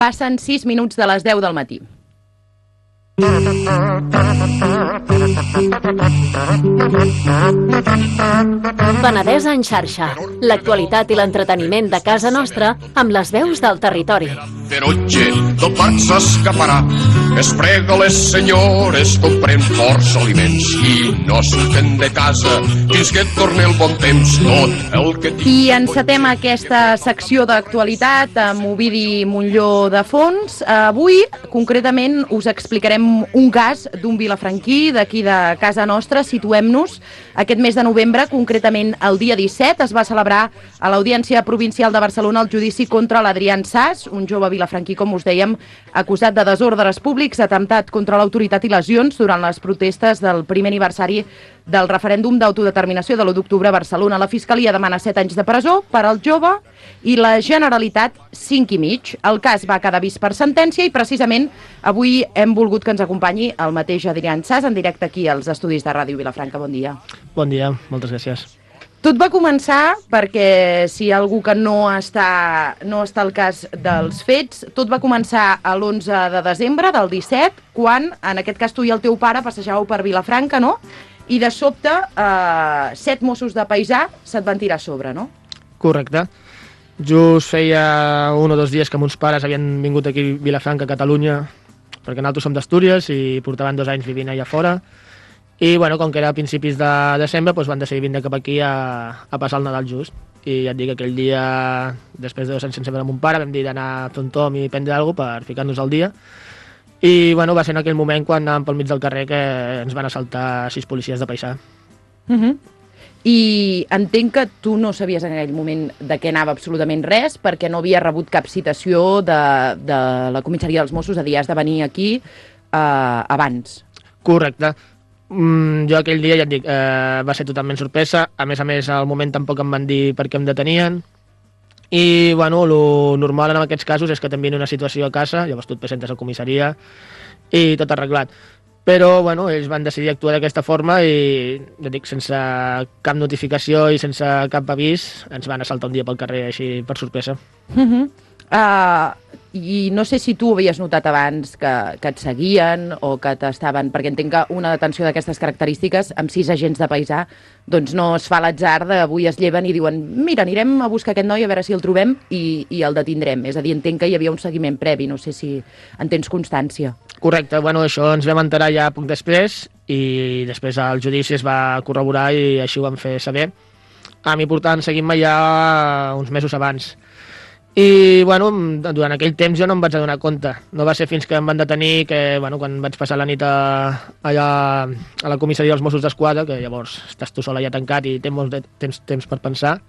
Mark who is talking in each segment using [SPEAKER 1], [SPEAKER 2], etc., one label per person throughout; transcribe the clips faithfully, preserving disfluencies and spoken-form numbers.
[SPEAKER 1] Passen sis minuts de les deu del matí.
[SPEAKER 2] Penedès en xarxa. L'actualitat i l'entreteniment de casa nostra amb les veus del territori.
[SPEAKER 3] De noche tot parc s'escaparà. Es prega les senyores, comprem força aliments i no surten de casa fins que torni el bon temps. Tot el que...
[SPEAKER 1] I encetem aquesta secció d'actualitat amb Ovidi Montlló de fons. Avui, concretament, us explicarem un cas d'un vilafranquí d'aquí de casa nostra. Situem-nos. Aquest mes de novembre, concretament el dia disset, es va celebrar a l'Audiència Provincial de Barcelona el judici contra l'Adrián Sas, un jove vilafranquí, com us dèiem, acusat de desordres públics, atemptat contra l'autoritat i lesions durant les protestes del primer aniversari del referèndum d'autodeterminació de l'u d'octubre a Barcelona. La Fiscalia demana set anys de presó per al jove i la Generalitat cinc i mig. El cas va quedar vist per sentència i precisament avui hem volgut que ens acompanyi el mateix Adrián Sas en directe aquí als estudis de Ràdio Vilafranca. Bon dia.
[SPEAKER 4] Bon dia, moltes gràcies.
[SPEAKER 1] Tot va començar perquè, si hi ha algú que no està, no està al cas dels fets, tot va començar a l'onze de desembre del disset, quan, en aquest cas, tu i el teu pare passejàveu per Vilafranca, no? I de sobte, eh, set Mossos de paisà se't van tirar a sobre, no?
[SPEAKER 4] Correcte. Just feia un o dos dies que mons pares havien vingut aquí a Vilafranca, a Catalunya, perquè nosaltres som d'Astúries i portaven dos anys vivint allà fora. I, bueno, com que era a principis de desembre, doncs van decidir vindre cap aquí a, a passar el Nadal just. I ja et dic que aquell dia, després de dos anys sense veure mon pare, vam dir d'anar a fer un tom i prendre alguna cosa per ficar-nos al dia. I, bueno, va ser en aquell moment quan anàvem pel mig del carrer que ens van assaltar sis policies de paisà.
[SPEAKER 1] Uh -huh. I entenc que tu no sabies en aquell moment de què anava absolutament res, perquè no havia rebut cap citació de, de la comissaria dels Mossos a dir has de venir aquí eh, abans.
[SPEAKER 4] Correcte. Mm, jo aquell dia, ja et dic, eh, va ser totalment sorpresa. A més a més, al moment tampoc em van dir per què em detenien. I, bueno, el normal en aquests casos és que t'envien una situació a casa, llavors tu et presentes a comissaria i tot arreglat. Però, bueno, ells van decidir actuar d'aquesta forma i, ja dic, sense cap notificació i sense cap avís, ens van assaltar un dia pel carrer així per sorpresa.
[SPEAKER 1] Uh -huh. uh, I no sé si tu ho havies notat abans que, que et seguien o que t'estaven... Perquè entenc que una detenció d'aquestes característiques amb sis agents de paisà doncs no es fa a l'atzar d'avui es lleven i diuen mira, anirem a buscar aquest noi a veure si el trobem i, i el detindrem. És a dir, entenc que hi havia un seguiment previ, no sé si en tens constància.
[SPEAKER 4] Correcte, bueno, això ens vam enterar ja poc després i després el judici es va corroborar i així ho vam fer saber. A mi portant seguint-me ja uns mesos abans. I, bueno, durant aquell temps jo no em vaig adonar compte. No va ser fins que em van detenir que, bueno, quan vaig passar la nit a, allà a la comissaria dels Mossos d'Esquadra, que llavors estàs tu sol allà tancat i tens molt de temps, temps per pensar,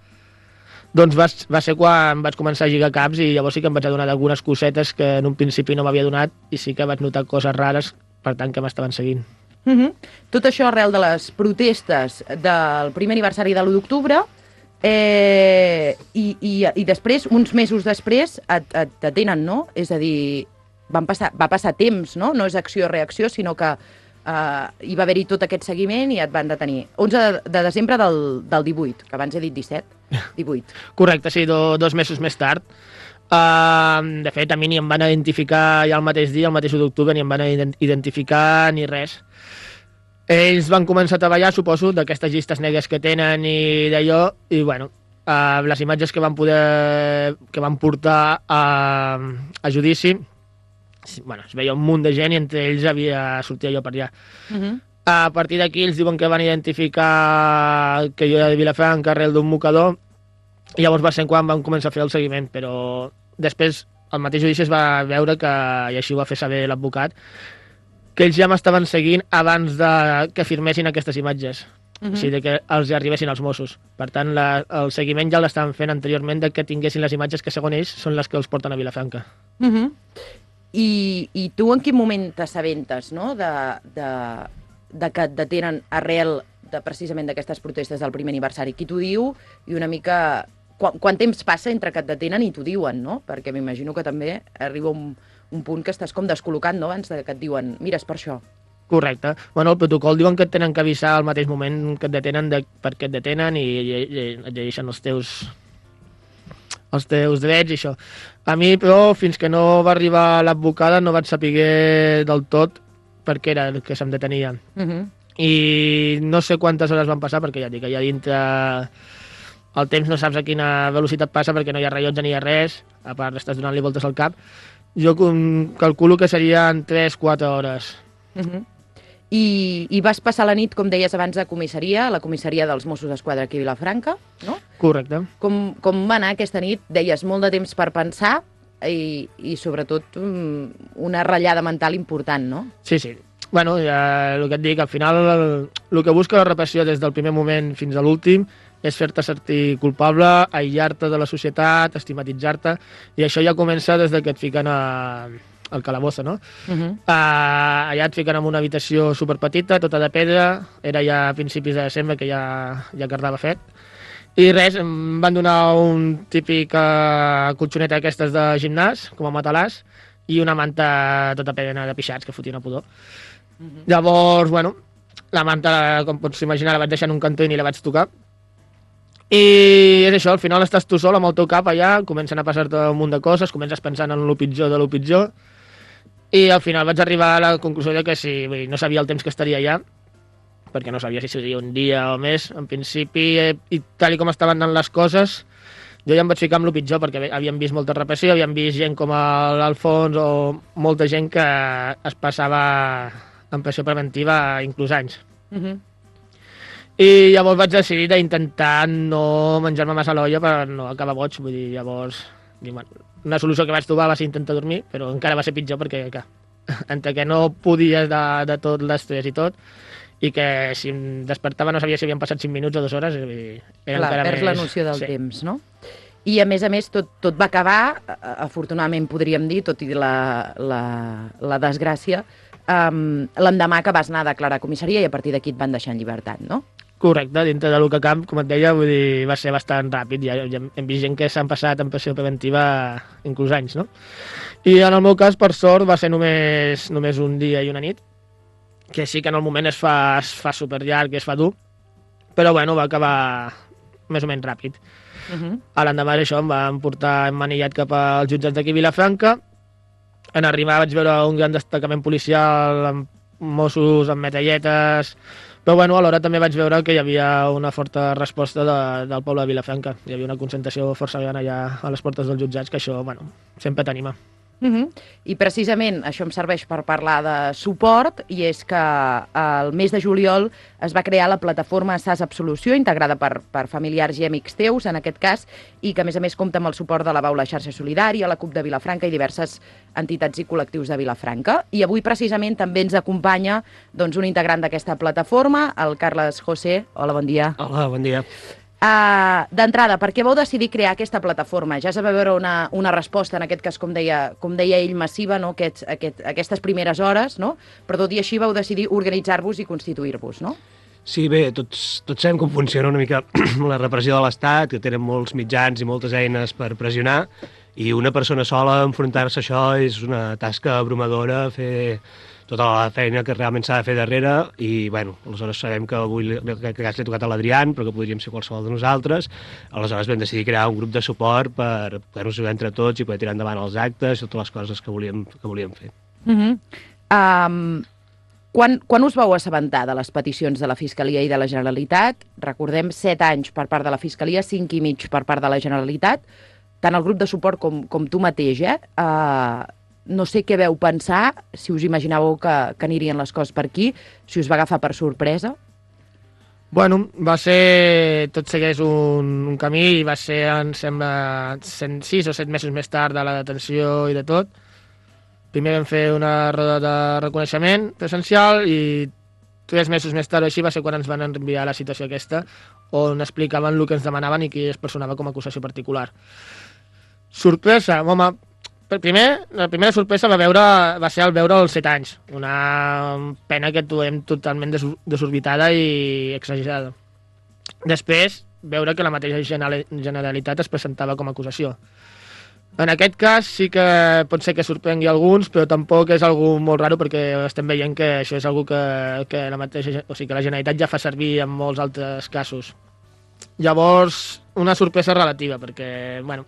[SPEAKER 4] doncs va, va ser quan vaig començar a lligar caps i llavors sí que em vaig adonar d'algunes cosetes que en un principi no m'havia donat i sí que vaig notar coses rares, per tant, que m'estaven seguint.
[SPEAKER 1] Uh -huh. Tot això arrel de les protestes del primer aniversari de l'u d'octubre. Eh, i, i, i després, uns mesos després, et, et detenen, no? És a dir, van passar, va passar temps, no? No és acció-reacció, sinó que eh, hi va haver-hi tot aquest seguiment i et van detenir. onze de desembre del, del divuit, que abans he dit disset, divuit.
[SPEAKER 4] Correcte, sí, do, dos mesos més tard. Uh, de fet, a mi ni em van identificar ja el mateix dia, el mateix u d'octubre, ni em van identificar ni res. Ells van començar a treballar, suposo, d'aquestes llistes negres que tenen i d'allò, i, bueno, uh, les imatges que van poder... que van portar a, a judici, bueno, es veia un munt de gent i entre ells havia sortit jo per allà. Uh -huh. A partir d'aquí ells diuen que van identificar que jo era de Vilafranca, arrel d'un mocador, i llavors va ser quan van començar a fer el seguiment, però després el mateix judici es va veure que, i així ho va fer saber l'advocat, que ells ja m'estaven seguint abans de que firmessin aquestes imatges. Uh -huh. O sigui, que els arribessin als Mossos. Per tant, la, el seguiment ja l'estaven fent anteriorment de que tinguessin les imatges que, segons ells, són les que els porten a Vilafranca.
[SPEAKER 1] Uh -huh. I, I tu en quin moment t'assabentes, no?, de, de, de que et detenen arrel de, precisament d'aquestes protestes del primer aniversari? Qui t'ho diu i una mica... Quant, quant temps passa entre que et detenen i t'ho diuen, no? Perquè m'imagino que també arriba un... un punt que estàs com descol·locat, no?, abans de que et diuen, mira, és per això.
[SPEAKER 4] Correcte. Bueno, el protocol diuen que et tenen que avisar al mateix moment que et detenen de per què et detenen i, i, i et llegeixen els teus els teus drets i això. A mi, però, fins que no va arribar l'advocada no vaig saber del tot per què era el que se'm detenia.
[SPEAKER 1] Uh -huh.
[SPEAKER 4] I no sé quantes hores van passar, perquè ja dic que allà dintre el temps no saps a quina velocitat passa perquè no hi ha rellotge ni hi ha res, a part estàs donant-li voltes al cap. Jo calculo que serien tres quatre hores.
[SPEAKER 1] Uh -huh. I, I vas passar la nit, com deies abans, a comissaria, a la comissaria dels Mossos d'Esquadra aquí a Vilafranca, no?
[SPEAKER 4] Correcte.
[SPEAKER 1] Com, com va anar aquesta nit? Deies molt de temps per pensar i, i sobretot, una ratllada mental important, no?
[SPEAKER 4] Sí, sí. Bueno, ja, el que et dic, al final el, el que busca la repressió des del primer moment fins a l'últim és fer-te sentir culpable, aïllar-te de la societat, estigmatitzar-te, i això ja comença des de que et fiquen a, al calabozo, no? Uh -huh. uh, allà et fiquen en una habitació superpetita, tota de pedra, era ja a principis de desembre que ja, ja quedava fet, i res, em van donar un típic uh, colxonet aquestes de gimnàs, com a matalàs, i una manta tota plena de pixats que fotia una pudor. Uh -huh. Llavors, bueno, la manta, com pots imaginar, la vaig deixar en un cantó i ni la vaig tocar. I és això, al final estàs tu sol amb el teu cap allà, comencen a passar-te un munt de coses, comences pensant en el pitjor de lo pitjor, i al final vaig arribar a la conclusió de que si, vull dir, no sabia el temps que estaria allà, perquè no sabia si seria un dia o més, en principi, eh, i tal i com estaven anant les coses, jo ja em vaig ficar amb el pitjor, perquè havíem vist molta repressió, havíem vist gent com l'Alfons o molta gent que es passava en pressió preventiva inclús anys. Uh -huh. I llavors vaig decidir d'intentar no menjar-me massa l'olla per no acabar boig, vull dir, llavors bueno, una solució que vaig trobar va ser intentar dormir, però encara va ser pitjor perquè, clar, entre que no podies de, de tot l'estrès i tot, i que si em despertava no sabia si havien passat cinc minuts o dues hores, vull dir, era
[SPEAKER 1] clar,
[SPEAKER 4] encara
[SPEAKER 1] perds
[SPEAKER 4] més...
[SPEAKER 1] la noció del
[SPEAKER 4] sí.
[SPEAKER 1] temps, no? I a més a més tot, tot va acabar, afortunadament podríem dir, tot i la, la, la desgràcia, um, l'endemà que vas anar a declarar a comissaria i a partir d'aquí et van deixar en llibertat, no?
[SPEAKER 4] Correcte, dintre de l'U C A Camp, com et deia, vull dir, va ser bastant ràpid. Ja, ja hem vist gent que s'han passat en pressió preventiva inclús anys, no? I en el meu cas, per sort, va ser només, només un dia i una nit, que sí que en el moment es fa, es fa superllarg, es fa dur, però bueno, va acabar més o menys ràpid. Uh -huh. A l'endemà d'això em van portar emmanillat cap als jutjats d'aquí a Vilafranca. En arribar vaig veure un gran destacament policial amb Mossos, amb metralletes, però bueno, alhora també vaig veure que hi havia una forta resposta de, del poble de Vilafranca. Hi havia una concentració força gran allà a les portes dels jutjats, que això, bueno, sempre t'anima.
[SPEAKER 1] Uh -huh. I precisament això em serveix per parlar de suport, i és que el mes de juliol es va crear la plataforma S A S Absolució, integrada per, per familiars i amics teus, en aquest cas, i que a més a més compta amb el suport de la Baula Xarxa Solidària, la CUP de Vilafranca i diverses entitats i col·lectius de Vilafranca. I avui precisament també ens acompanya doncs, un integrant d'aquesta plataforma, el Carles José. Hola, bon dia.
[SPEAKER 5] Hola, bon dia.
[SPEAKER 1] Uh, D'entrada, per què vau decidir crear aquesta plataforma? Ja es va veure una, una resposta, en aquest cas, com deia, com deia ell, massiva, no? Aquests, aquest, aquestes primeres hores, no? Però tot i així vau decidir organitzar-vos i constituir-vos, no?
[SPEAKER 5] Sí, bé, tots, tots sabem com funciona una mica la repressió de l'Estat, que tenen molts mitjans i moltes eines per pressionar, i una persona sola enfrontar-se a això és una tasca abrumadora, fer tota la feina que realment s'ha de fer darrere, i, bueno, aleshores sabem que avui en aquest cas l'he tocat a l'Adrián, però que podríem ser qualsevol de nosaltres. Aleshores vam decidir crear un grup de suport per poder-nos ajudar entre tots i poder tirar endavant els actes i totes les coses que volíem, que volíem fer.
[SPEAKER 1] Uh -huh. um, quan, quan us vau assabentar de les peticions de la Fiscalia i de la Generalitat? Recordem, set anys per part de la Fiscalia, cinc i mig per part de la Generalitat, tant el grup de suport com, com tu mateix, eh? Uh, no sé què veu pensar, si us imaginàveu que, que anirien les coses per aquí, si us va agafar per sorpresa.
[SPEAKER 4] Bueno, va ser... Tot segueix un, un camí i va ser, em sembla, sis o set mesos més tard de la detenció i de tot. Primer vam fer una roda de reconeixement presencial i tres mesos més tard així va ser quan ens van enviar la situació aquesta, on explicaven el que ens demanaven i qui es personava com a acusació particular. Sorpresa, home... Primer, la primera sorpresa va, veure, va ser el veure els set anys, una pena que trobem totalment desorbitada i exagerada. Després, veure que la mateixa Generalitat es presentava com a acusació. En aquest cas sí que pot ser que sorprengui alguns, però tampoc és algo molt raro perquè estem veient que això és algo que, que, la, mateixa, o sigui, que la Generalitat ja fa servir en molts altres casos. Llavors, una sorpresa relativa, perquè, bueno,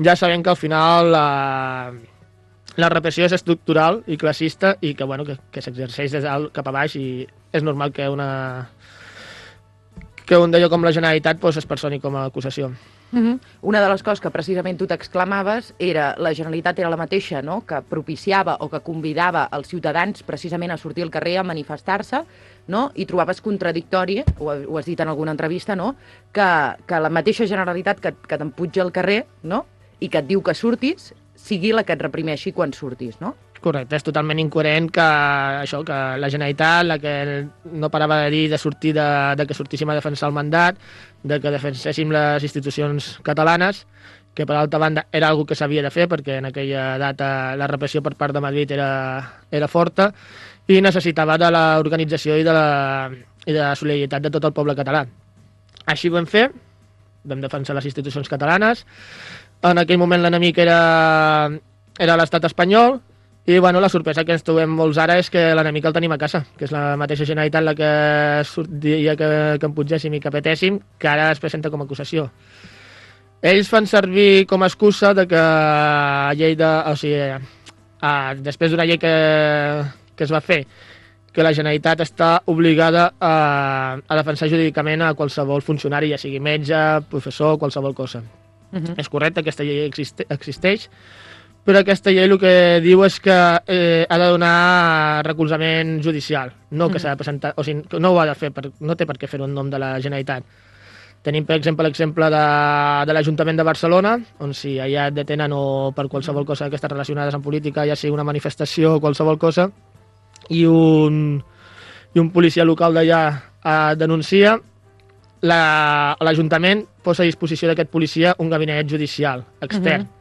[SPEAKER 4] ja sabem que al final la, la repressió és estructural i classista i que, bueno, que, que s'exerceix des dalt cap a baix i és normal que una que un d'allò com la Generalitat pues, es personi com a acusació.
[SPEAKER 1] Uh-huh. Una de les coses que precisament tu t'exclamaves era la Generalitat era la mateixa, no?, que propiciava o que convidava els ciutadans precisament a sortir al carrer a manifestar-se, no?, i trobaves contradictori, ho, ho has dit en alguna entrevista, no?, que, que la mateixa Generalitat que, que t'empuja al carrer, no?, i que et diu que surtis, sigui la que et reprimeixi quan surtis, no?
[SPEAKER 4] Correcte, és totalment incoherent que això, que la Generalitat, la que no parava de dir de sortir de, de que sortíssim a defensar el mandat, de que defenséssim les institucions catalanes, que per altra banda era algo que s'havia de fer perquè en aquella data la repressió per part de Madrid era, era forta i necessitava de l'organització i, de la, i de la solidaritat de tot el poble català. Així ho vam fer, vam defensar les institucions catalanes, en aquell moment l'enemic era, era l'estat espanyol, i bueno, la sorpresa que ens trobem molts ara és que l'enemic el tenim a casa, que és la mateixa Generalitat la que sortia que, que em pugéssim i que petéssim, que ara es presenta com a acusació. Ells fan servir com a excusa de que a llei de... O sigui, a, després d'una llei que, que es va fer, que la Generalitat està obligada a, a defensar jurídicament a qualsevol funcionari, ja sigui metge, professor, qualsevol cosa. Uh-huh. És correcte, aquesta llei existe, existeix, però aquesta llei el que diu és que eh, ha de donar recolzament judicial, no que mm. s'ha de presentar, o sigui, no ho ha de fer, per, no té per què fer-ho en nom de la Generalitat. Tenim, per exemple, l'exemple de, de l'Ajuntament de Barcelona, on si allà et detenen o per qualsevol cosa que està relacionada amb política, ja sigui una manifestació o qualsevol cosa, i un, i un policia local d'allà eh, denuncia, l'Ajuntament la, posa a disposició d'aquest policia un gabinet judicial extern. Mm-hmm.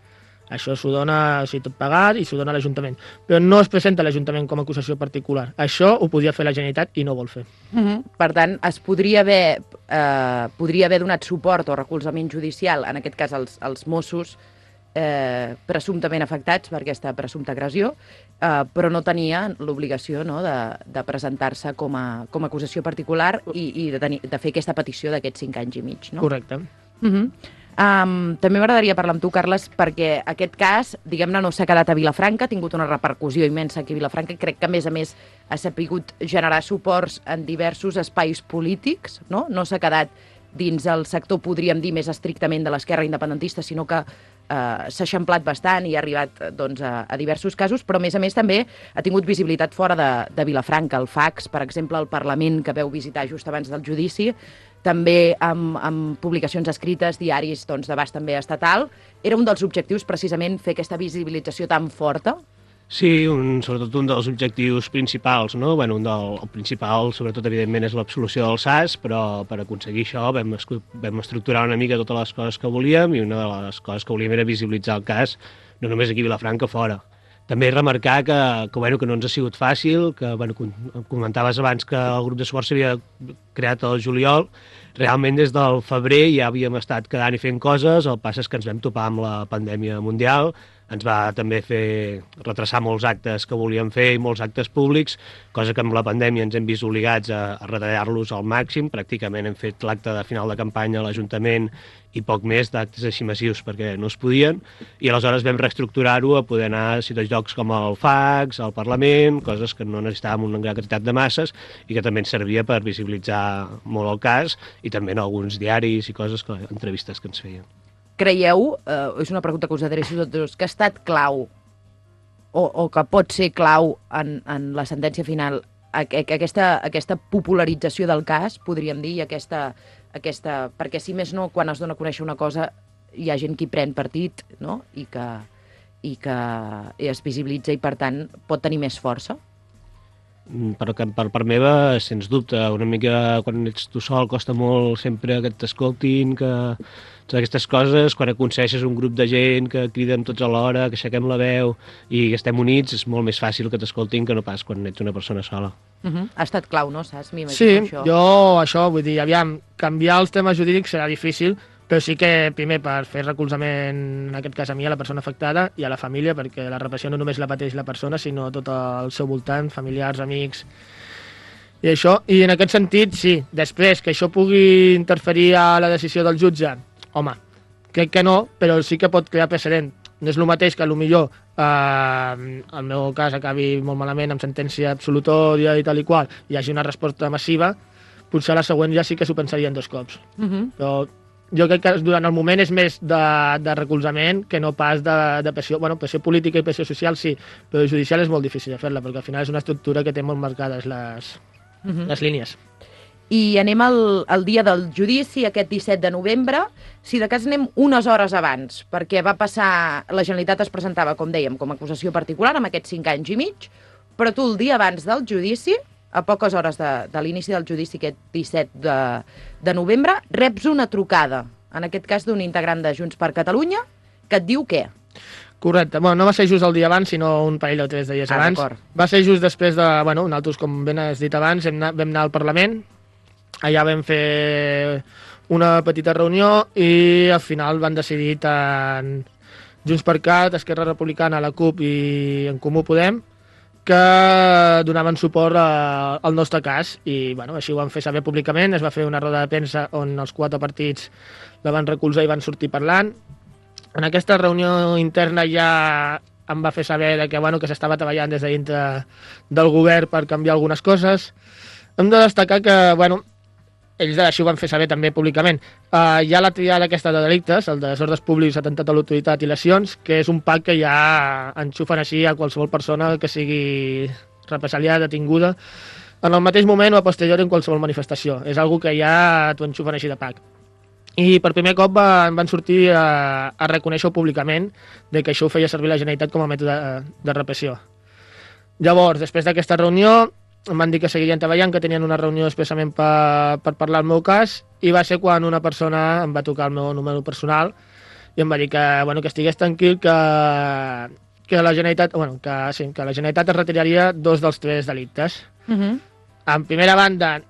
[SPEAKER 4] Això s'ho dona, o sigui, tot pagat i s'ho dona a l'Ajuntament. Però no es presenta l'Ajuntament com a acusació particular. Això ho podia fer la Generalitat i no vol fer.
[SPEAKER 1] Uh-huh. Per tant, es podria haver, eh, podria haver donat suport o recolzament judicial, en aquest cas als, als Mossos, eh, presumptament afectats per aquesta presumpta agressió, eh, però no tenia l'obligació, no, de, de presentar-se com a, com a acusació particular i, i de, tenir, de fer aquesta petició d'aquests cinc anys i mig. No?
[SPEAKER 4] Correcte.
[SPEAKER 1] Uh-huh. Um, també m'agradaria parlar amb tu, Carles, perquè aquest cas, diguem-ne, no s'ha quedat a Vilafranca, ha tingut una repercussió immensa aquí a Vilafranca i crec que, a més a més, ha sapigut generar suports en diversos espais polítics, no? No s'ha quedat dins el sector, podríem dir, més estrictament de l'esquerra independentista, sinó que eh, s'ha eixamplat bastant i ha arribat doncs, a, a diversos casos, però, a més a més, també ha tingut visibilitat fora de, de Vilafranca. El Fax, per exemple, el Parlament, que veu visitar just abans del judici, també amb, amb publicacions escrites, diaris doncs, d'abast també estatal. Era un dels objectius, precisament, fer aquesta visibilització tan forta?
[SPEAKER 5] Sí, un, sobretot un dels objectius principals, no? Bueno, un del, el principal, sobretot, evidentment, és l'absolució del S A S, però per aconseguir això vam, vam estructurar una mica totes les coses que volíem i una de les coses que volíem era visibilitzar el cas, no només aquí a Vilafranca, fora. També remarcar que, que, bueno, que no ens ha sigut fàcil, que bueno, comentaves abans que el grup de suport s'havia creat al juliol. Realment des del febrer ja havíem estat quedant i fent coses, el pas és que ens vam topar amb la pandèmia mundial, ens va també fer retrasar molts actes que volíem fer i molts actes públics, cosa que amb la pandèmia ens hem vist obligats a, a retallar-los al màxim. Pràcticament hem fet l'acte de final de campanya a l'Ajuntament i poc més d'actes així massius perquè no es podien, i aleshores vam reestructurar-ho a poder anar a certs llocs com el Fax, al Parlament, coses que no necessitàvem una gran quantitat de masses i que també ens servia per visibilitzar molt el cas, i també en alguns diaris i coses, que, entrevistes que ens feien.
[SPEAKER 1] Creieu, eh, és una pregunta que us adreço a tots dos, que ha estat clau o, o que pot ser clau en, en la sentència final aquesta, aquesta popularització del cas, podríem dir, i aquesta, aquesta... Perquè, si més no, quan es dona a conèixer una cosa, hi ha gent que hi pren partit, no?, i que, i que es visibilitza i, per tant, pot tenir més força?
[SPEAKER 5] Per, per part meva, sens dubte, una mica quan ets tu sol costa molt sempre que t'escoltin, que totes aquestes coses, quan aconsegueixes un grup de gent que criden tots alhora, que aixequem la veu i que estem units, és molt més fàcil que t'escoltin que no pas quan ets una persona sola.
[SPEAKER 1] Uh-huh. Ha estat clau, no, saps?
[SPEAKER 4] Sí, això. jo això, vull dir, aviam, canviar els temes jurídics serà difícil, però sí que primer per fer recolzament, en aquest cas a mi, a la persona afectada i a la família, perquè la repressió no només la pateix la persona, sinó tot el seu voltant, familiars, amics, i això. I en aquest sentit, sí, després que això pugui interferir a la decisió del jutge home, crec que no, però sí que pot crear precedent. No és el mateix que potser eh, el meu cas acabi molt malament amb sentència absolutòria i tal i qual, i hi hagi una resposta massiva, potser la següent ja sí que s'ho pensarien dos cops. Uh -huh. Però jo crec que durant el moment és més de, de recolzament que no pas de, de pressió. Bueno, pressió política i pressió social sí, però judicial és molt difícil de fer-la, perquè al final és una estructura que té molt marcades les, uh -huh. les línies.
[SPEAKER 1] I anem al, al dia del judici, aquest disset de novembre, si de cas anem unes hores abans, perquè va passar, la Generalitat es presentava, com dèiem, com a acusació particular amb aquests cinc anys i mig, però tu el dia abans del judici, a poques hores de, de l'inici del judici, aquest disset de, de novembre, reps una trucada, en aquest cas d'un integrant de Junts per Catalunya, que et diu què?
[SPEAKER 4] Correcte. Bueno, no va ser just el dia abans, sinó un parell o tres dies
[SPEAKER 1] ah,
[SPEAKER 4] abans. Va ser just després de... Bueno, nosaltres, com ben has dit abans, vam anar, vam anar al Parlament, allà vam fer una petita reunió i al final van decidir tant Junts per Cat, Esquerra Republicana, la CUP i En Comú Podem que donaven suport a, al nostre cas i bueno, així ho van fer saber públicament. Es va fer una roda de premsa on els quatre partits la van recolzar i van sortir parlant. En aquesta reunió interna ja em va fer saber que, bueno, que s'estava treballant des de dintre del govern per canviar algunes coses. Hem de destacar que, bueno, ells així ho van fer saber també públicament. Uh, hi ha la triada aquesta de delictes, el de desordres públics, atemptat a l'autoritat i lesions, que és un pack que ja enxufen així a qualsevol persona que sigui represaliada, detinguda, en el mateix moment o a posteriori en qualsevol manifestació. És algo que ja t'ho enxufen així de pack. I per primer cop van, van sortir a, a reconèixer públicament de que això ho feia servir la Generalitat com a mètode de, de repressió. Llavors, després d'aquesta reunió, em van dir que seguirien treballant, que tenien una reunió expressament per, per parlar del meu cas, i va ser quan una persona em va tocar el meu número personal i em va dir que, bueno, que estigués tranquil, que, que, la Generalitat, bueno, que, sí, que la Generalitat es retiraria dos dels tres delictes. Uh -huh. En primera banda,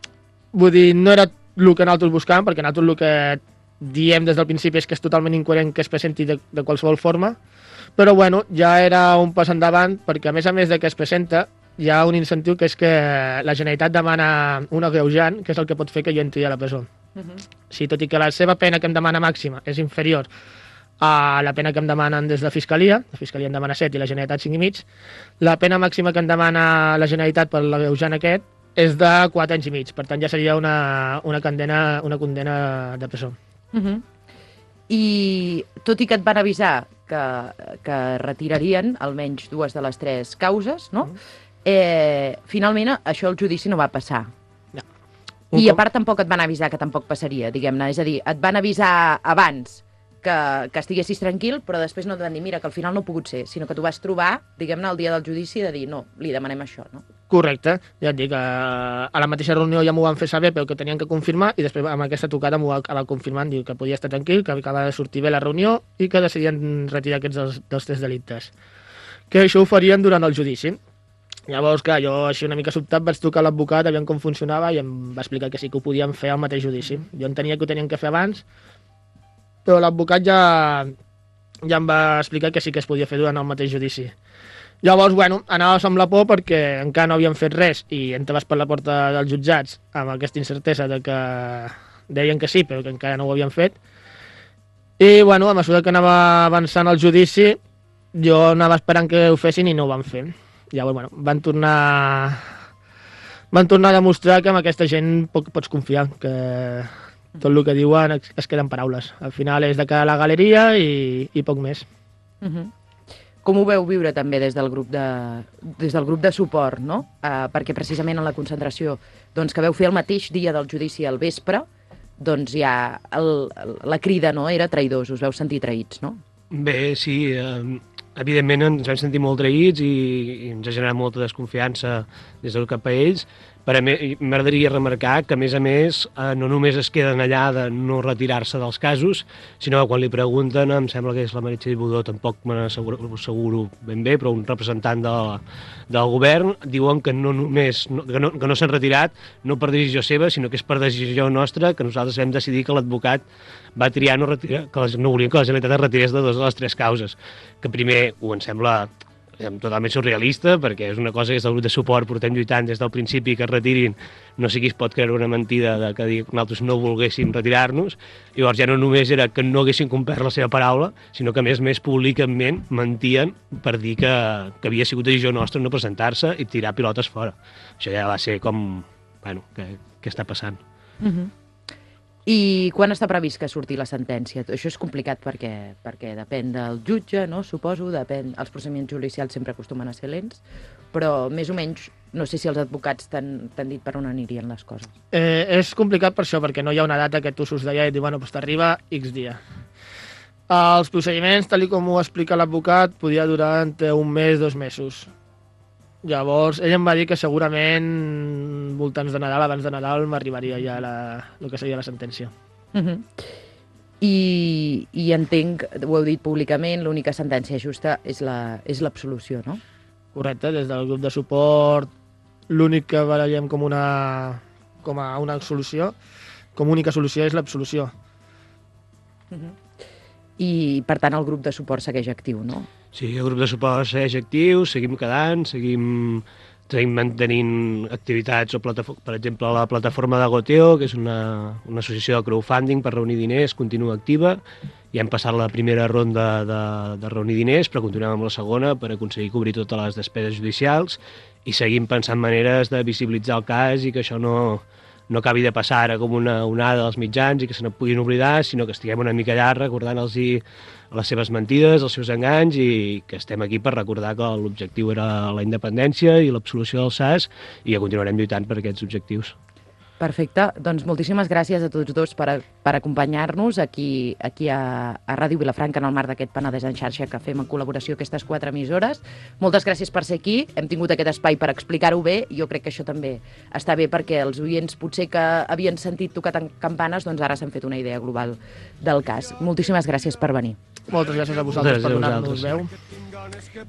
[SPEAKER 4] vull dir, no era el que nosaltres buscàvem, perquè nosaltres el que diem des del principi és que és totalment incoherent que es presenti de, de qualsevol forma, però bueno, ja era un pas endavant, perquè a més a més de que es presenta, hi ha un incentiu que és que la Generalitat demana un agreujant, que és el que pot fer que jo entri a la presó. Uh -huh. Sí, tot i que la seva pena que em demana màxima és inferior a la pena que em demanen des de Fiscalia, la Fiscalia em demana set i la Generalitat cinc i mig, la pena màxima que em demana la Generalitat per l'agreujant aquest és de quatre anys i mig, per tant ja seria una, una, condena, una condena de presó.
[SPEAKER 1] Uh -huh. I tot i que et van avisar que, que retirarien almenys dues de les tres causes, no? Uh -huh. Eh, finalment això el judici no va passar.
[SPEAKER 4] No.
[SPEAKER 1] I a part tampoc et van avisar que tampoc passaria, diguem-ne. És a dir, et van avisar abans que, que estiguessis tranquil, però després no et van dir, mira, que al final no ha pogut ser, sinó que tu vas trobar, diguem-ne, el dia del judici de dir, no, li demanem això, no?
[SPEAKER 4] Correcte, ja et dic, a la mateixa reunió ja m'ho van fer saber, però que tenien que confirmar, i després amb aquesta tocada m'ho va acabar confirmant, diu que podia estar tranquil, que acaba de sortir bé la reunió i que decidien retirar aquests dels, dels tres delictes. Que això ho farien durant el judici. Llavors, clar, jo així una mica sobtat vaig trucar a l'advocat, aviam com funcionava, i em va explicar que sí que ho podien fer al mateix judici. Jo entenia que ho tenien que fer abans, però l'advocat ja, ja em va explicar que sí que es podia fer durant el mateix judici. Llavors, bueno, anaves amb la por perquè encara no havien fet res i entraves per la porta dels jutjats amb aquesta incertesa de que deien que sí, però que encara no ho havien fet. I, bueno, a mesura que anava avançant el judici, jo anava esperant que ho fessin i no ho van fer. Llavors, bueno, van tornar van tornar a demostrar que amb aquesta gent poc pots confiar, que tot el que diuen es, es queden paraules. Al final és de cara a la galeria i, i poc més.
[SPEAKER 1] Uh -huh. Com ho veu viure també des del grup de, des del grup de suport, no? Uh, perquè precisament en la concentració doncs, que veu fer el mateix dia del judici al vespre, doncs ja el, la crida, no?, era traïdors, us veu sentir traïts, no?
[SPEAKER 5] Bé, sí, eh, evidentment ens vam sentir molt traïts i, i ens ha generat molta desconfiança des del cap a ells. Per a mi m'agradaria remarcar que, a més a més, eh, no només es queden allà de no retirar-se dels casos, sinó que quan li pregunten, em sembla que és la Meritxell Budó, tampoc me n'asseguro ben bé, però un representant de, del govern, diuen que no només no, que no, que no s'han retirat, no per decisió seva, sinó que és per decisió nostra, que nosaltres vam decidir que l'advocat va triar no retirar, que no volien que la Generalitat es retirés de dues de les tres causes, que primer ho em sembla totalment surrealista, perquè és una cosa que des del grup de suport portem lluitant des del principi, que es retirin, no sé qui es pot creure una mentida de que nosaltres no volguéssim retirar-nos. Llavors ja no només era que no haguessin complert la seva paraula, sinó que a més més públicament mentien per dir que, que havia sigut decisió nostra no presentar-se i tirar pilotes fora. Això ja va ser com, bueno, què, què està passant?
[SPEAKER 1] Uh-huh. I quan està previst que surti la sentència? Això és complicat perquè, perquè depèn del jutge, no? Suposo, depèn... Els procediments judicials sempre acostumen a ser lents, però més o menys no sé si els advocats t'han dit per on anirien les coses.
[SPEAKER 4] Eh, és complicat per això, perquè no hi ha una data que tu surts d'allà i et diu, bueno, doncs t'arriba X dia. Els procediments, tal com ho explica l'advocat, podia durar entre un mes, dos mesos. Llavors, ell em va dir que segurament voltants de Nadal, abans de Nadal, m'arribaria ja la, el que seria la sentència.
[SPEAKER 1] Uh-huh. I, I entenc, ho heu dit públicament, l'única sentència justa és l'absolució, no?
[SPEAKER 4] Correcte, des del grup de suport, l'únic que barallem com una, com a una solució, com a única solució és l'absolució.
[SPEAKER 1] Uh-huh. I, per tant, el grup de suport segueix actiu, no?
[SPEAKER 5] Sí, el grup de suport segueix actiu, seguim quedant, seguim, seguim mantenint activitats, o per exemple, la plataforma de Goteo, que és una, una associació de crowdfunding per reunir diners, continua activa. Ja hem passat la primera ronda de, de reunir diners, però continuem amb la segona per aconseguir cobrir totes les despeses judicials i seguim pensant maneres de visibilitzar el cas i que això no, no acabi de passar ara com una onada dels mitjans i que se ne puguin oblidar, sinó que estiguem una mica allà recordant-los les seves mentides, els seus enganys, i que estem aquí per recordar que l'objectiu era la independència i l'absolució del S A S i que continuarem lluitant per aquests objectius.
[SPEAKER 1] Perfecte, doncs moltíssimes gràcies a tots dos per, per acompanyar-nos aquí, aquí a, a Ràdio Vilafranca en el marc d'aquest Penedès en xarxa que fem en col·laboració aquestes quatre emissores. Moltes gràcies per ser aquí, hem tingut aquest espai per explicar-ho bé, jo crec que això també està bé perquè els oients potser que havien sentit tocar campanes, doncs ara s'han fet una idea global del cas. Moltíssimes gràcies per venir.
[SPEAKER 4] Moltes gràcies a vosaltres per donar-nos veu.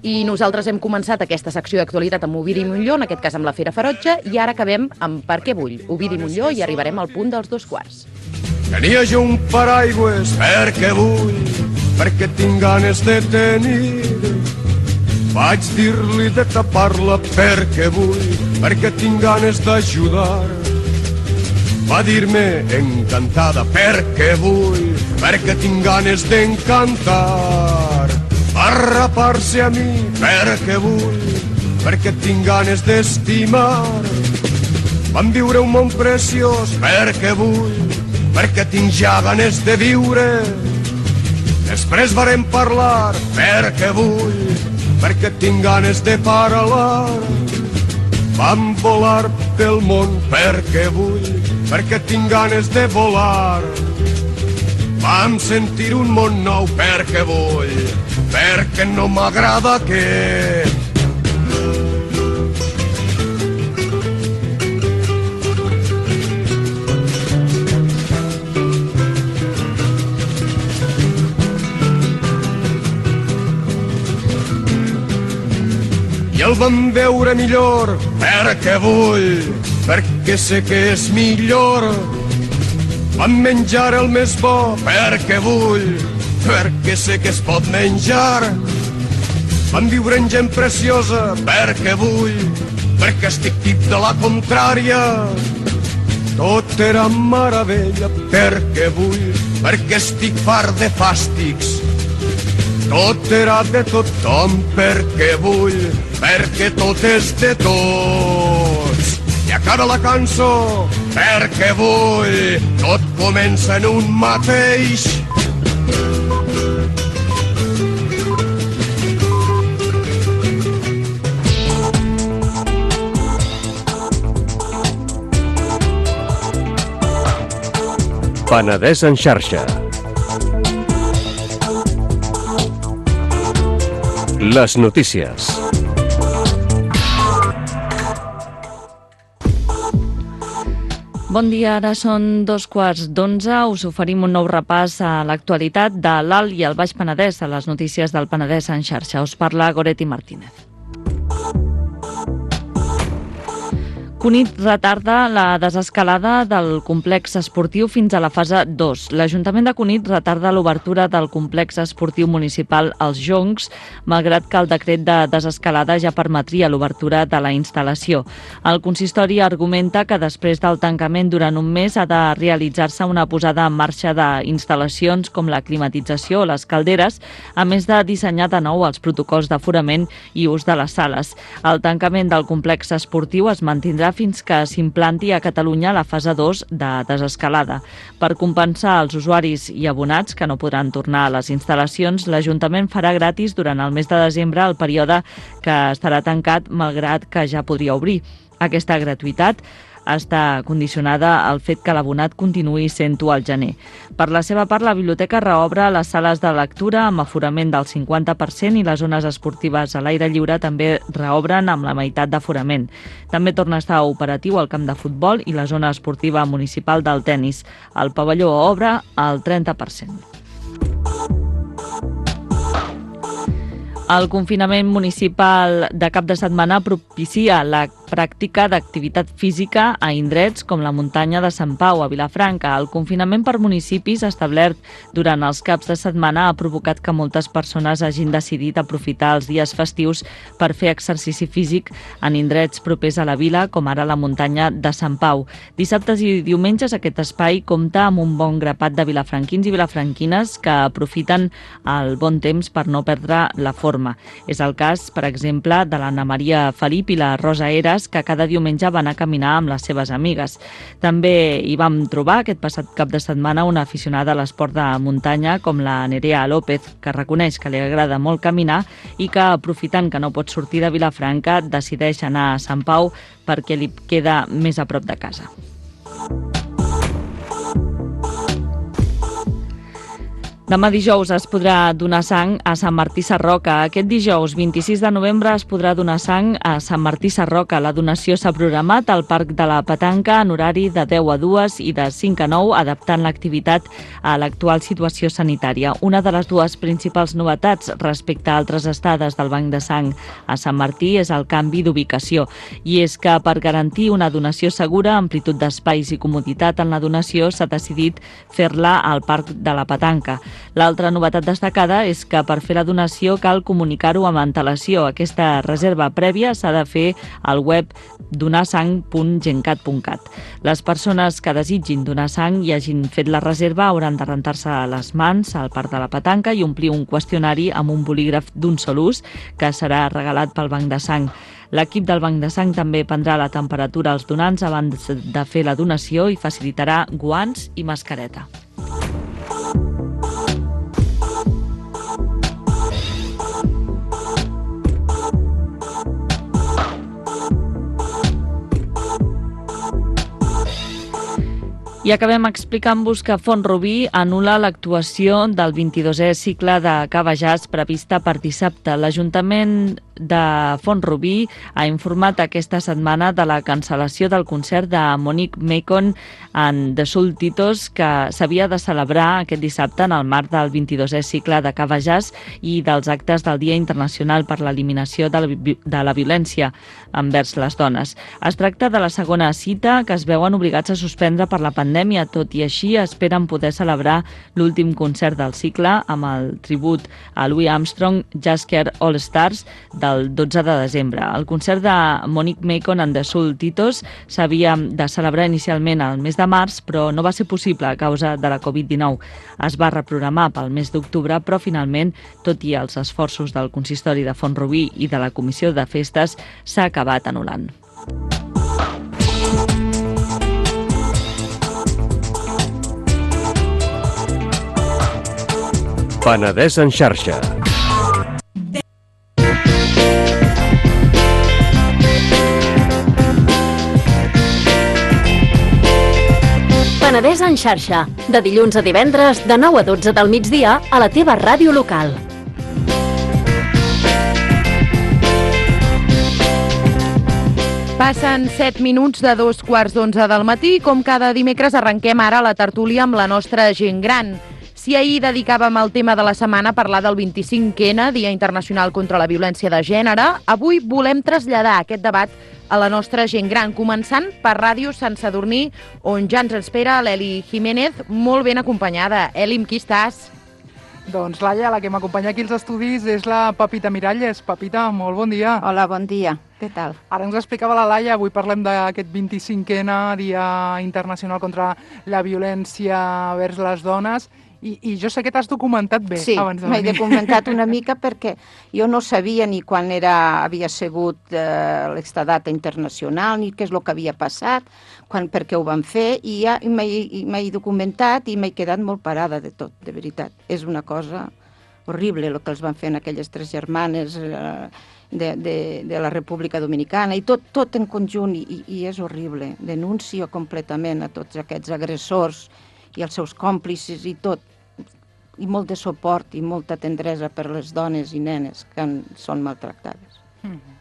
[SPEAKER 1] I nosaltres hem començat aquesta secció d'actualitat amb Ovidi Montllor, en aquest cas amb la Fera Ferotge, i ara acabem amb Per què vull, Ovidi Montllor, i arribarem al punt dels dos quarts.
[SPEAKER 3] Tenia jo un paraigües perquè vull, perquè tinc ganes de tenir. Vaig dir-li de tapar-la perquè vull, perquè tinc ganes d'ajudar. Va dir-me encantada perquè vull, perquè tinc ganes d'encantar. Va rapar-se a mi perquè vull, perquè tinc ganes d'estimar. Vam viure un món preciós perquè vull, perquè tinc ja ganes de viure. Després varem parlar perquè vull, perquè tinc ganes de parlar. Vam volar pel món perquè vull, perquè tinc ganes de volar. Vam sentir un món nou perquè vull, perquè no m'agrada aquest. I el vam veure millor perquè vull, perquè sé que és millor. Vam menjar el més bo perquè vull, perquè sé que es pot menjar. Vam viure en gent preciosa perquè vull, perquè estic tip de la contrària. Tot era meravella perquè vull, perquè estic fart de fàstics. Tot era de tothom perquè vull, perquè tot és de tots. I acaba la cançó perquè vull, tot comença en un mateix.
[SPEAKER 6] Penedès en xarxa. Les notícies.
[SPEAKER 7] Bon dia, ara són dos quarts d'onze. Us oferim un nou repàs a l'actualitat de l'Alt i el Baix Penedès, a les notícies del Penedès en xarxa. Us parla Goretti Martínez. Cunit retarda la desescalada del complex esportiu fins a la fase dos. L'Ajuntament de Cunit retarda l'obertura del complex esportiu municipal Els Joncs, malgrat que el decret de desescalada ja permetria l'obertura de la instal·lació. El consistori argumenta que després del tancament durant un mes ha de realitzar-se una posada en marxa d'instal·lacions com la climatització o les calderes, a més de dissenyar de nou els protocols d'aforament i ús de les sales. El tancament del complex esportiu es mantindrà fins que s'implanti a Catalunya la fase dos de desescalada. Per compensar els usuaris i abonats que no podran tornar a les instal·lacions, l'Ajuntament farà gratis durant el mes de desembre el període que estarà tancat, malgrat que ja podria obrir. Aquesta gratuïtat està condicionada al fet que l'abonat continuï sent-ho al gener. Per la seva part, la biblioteca reobre les sales de lectura amb aforament del cinquanta per cent i les zones esportives a l'aire lliure també reobren amb la meitat d'aforament. També torna a estar operatiu el camp de futbol i la zona esportiva municipal del tennis. El pavelló obre al trenta per cent. El confinament municipal de cap de setmana propicia la pràctica d'activitat física a indrets com la muntanya de Sant Pau, a Vilafranca. El confinament per municipis establert durant els caps de setmana ha provocat que moltes persones hagin decidit aprofitar els dies festius per fer exercici físic en indrets propers a la vila, com ara la muntanya de Sant Pau. Dissabtes i diumenges aquest espai compta amb un bon grapat de vilafranquins i vilafranquines que aprofiten el bon temps per no perdre la forma. És el cas, per exemple, de l'Anna Maria Felip i la Rosa Eras, que cada diumenge van a caminar amb les seves amigues. També hi vam trobar aquest passat cap de setmana una aficionada a l'esport de muntanya com la Nerea López, que reconeix que li agrada molt caminar i que, aprofitant que no pot sortir de Vilafranca, decideix anar a Sant Pau perquè li queda més a prop de casa. Demà dijous es podrà donar sang a Sant Martí Sarroca. Aquest dijous, vint-i-sis de novembre, es podrà donar sang a Sant Martí Sarroca. La donació s'ha programat al Parc de la Petanca en horari de deu a dues i de cinc a nou, adaptant l'activitat a l'actual situació sanitària. Una de les dues principals novetats respecte a altres estades del Banc de Sang a Sant Martí és el canvi d'ubicació. I és que per garantir una donació segura, amplitud d'espais i comoditat en la donació, s'ha decidit fer-la al Parc de la Petanca. L'altra novetat destacada és que per fer la donació cal comunicar-ho amb antelació. Aquesta reserva prèvia s'ha de fer al web donar sang punt gencat punt cat. Les persones que desitgin donar sang i hagin fet la reserva hauran de rentar-se les mans al Parc de la Petanca i omplir un qüestionari amb un bolígraf d'un sol ús que serà regalat pel Banc de Sang. L'equip del Banc de Sang també prendrà la temperatura als donants abans de fer la donació i facilitarà guants i mascareta. I acabem explicant-vos que Font-rubí anul·la l'actuació del vint-i-dosè cicle de Cava Jazz prevista per dissabte. L'Ajuntament de Font-rubí ha informat aquesta setmana de la cancel·lació del concert de Monique Macon en The Soul Titos, que s'havia de celebrar aquest dissabte en el marc del vint-i-dosè cicle de Cava Jazz i dels actes del Dia Internacional per l'Eliminació de la, de la Violència envers les dones. Es tracta de la segona cita que es veuen obligats a suspendre per la pandèmia. Tot i així, esperen poder celebrar l'últim concert del cicle amb el tribut a Louis Armstrong Jazzker All Stars del dotze de desembre. El concert de Monique Macon and the Soul Titos s'havia de celebrar inicialment al mes de març, però no va ser possible a causa de la covid dinou. Es va reprogramar pel mes d'octubre, però finalment, tot i els esforços del consistori de Font-rubí i de la Comissió de Festes, s'ha acabat anul·lant.
[SPEAKER 6] Penedès en xarxa.
[SPEAKER 2] Penedès en xarxa, de dilluns a divendres, de nou a dotze del migdia, a la teva ràdio local.
[SPEAKER 1] Passen set minuts de dos quarts d'onze del matí. Com cada dimecres arrenquem ara la tertúlia amb la nostra gent gran. Si ahir dedicàvem el tema de la setmana a parlar del vint-i-cinquè Dia Internacional contra la Violència de Gènere, avui volem traslladar aquest debat a la nostra gent gran, començant per Ràdio Sant Sadurní, on ja ens espera l'Eli Jiménez, molt ben acompanyada. Eli, amb qui estàs?
[SPEAKER 8] Doncs Laia, la que m'acompanya aquí als estudis és la Pepita Miralles. Pepita, molt bon dia.
[SPEAKER 9] Hola, bon dia. Què tal?
[SPEAKER 8] Ara ens explicava la Laia, avui parlem d'aquest vint-i-cinquè Dia Internacional contra la Violència vers les Dones. I, i jo sé que t'has documentat bé
[SPEAKER 9] sí,
[SPEAKER 8] abans de
[SPEAKER 9] venir. Sí, m'he documentat una mica perquè jo no sabia ni quan era, havia sigut eh, l'extradata internacional, ni què és el que havia passat, quan, per què ho van fer, i ja m'he documentat i m'he quedat molt parada de tot, de veritat. És una cosa horrible el que els van fer en aquelles tres germanes eh, de, de, de la República Dominicana, i tot, tot en conjunt, i, i és horrible. Denuncio completament a tots aquests agressors i els seus còmplices i tot, i molt de suport i molta tendresa per les dones i nenes que en, són maltractades.
[SPEAKER 1] Mm-hmm.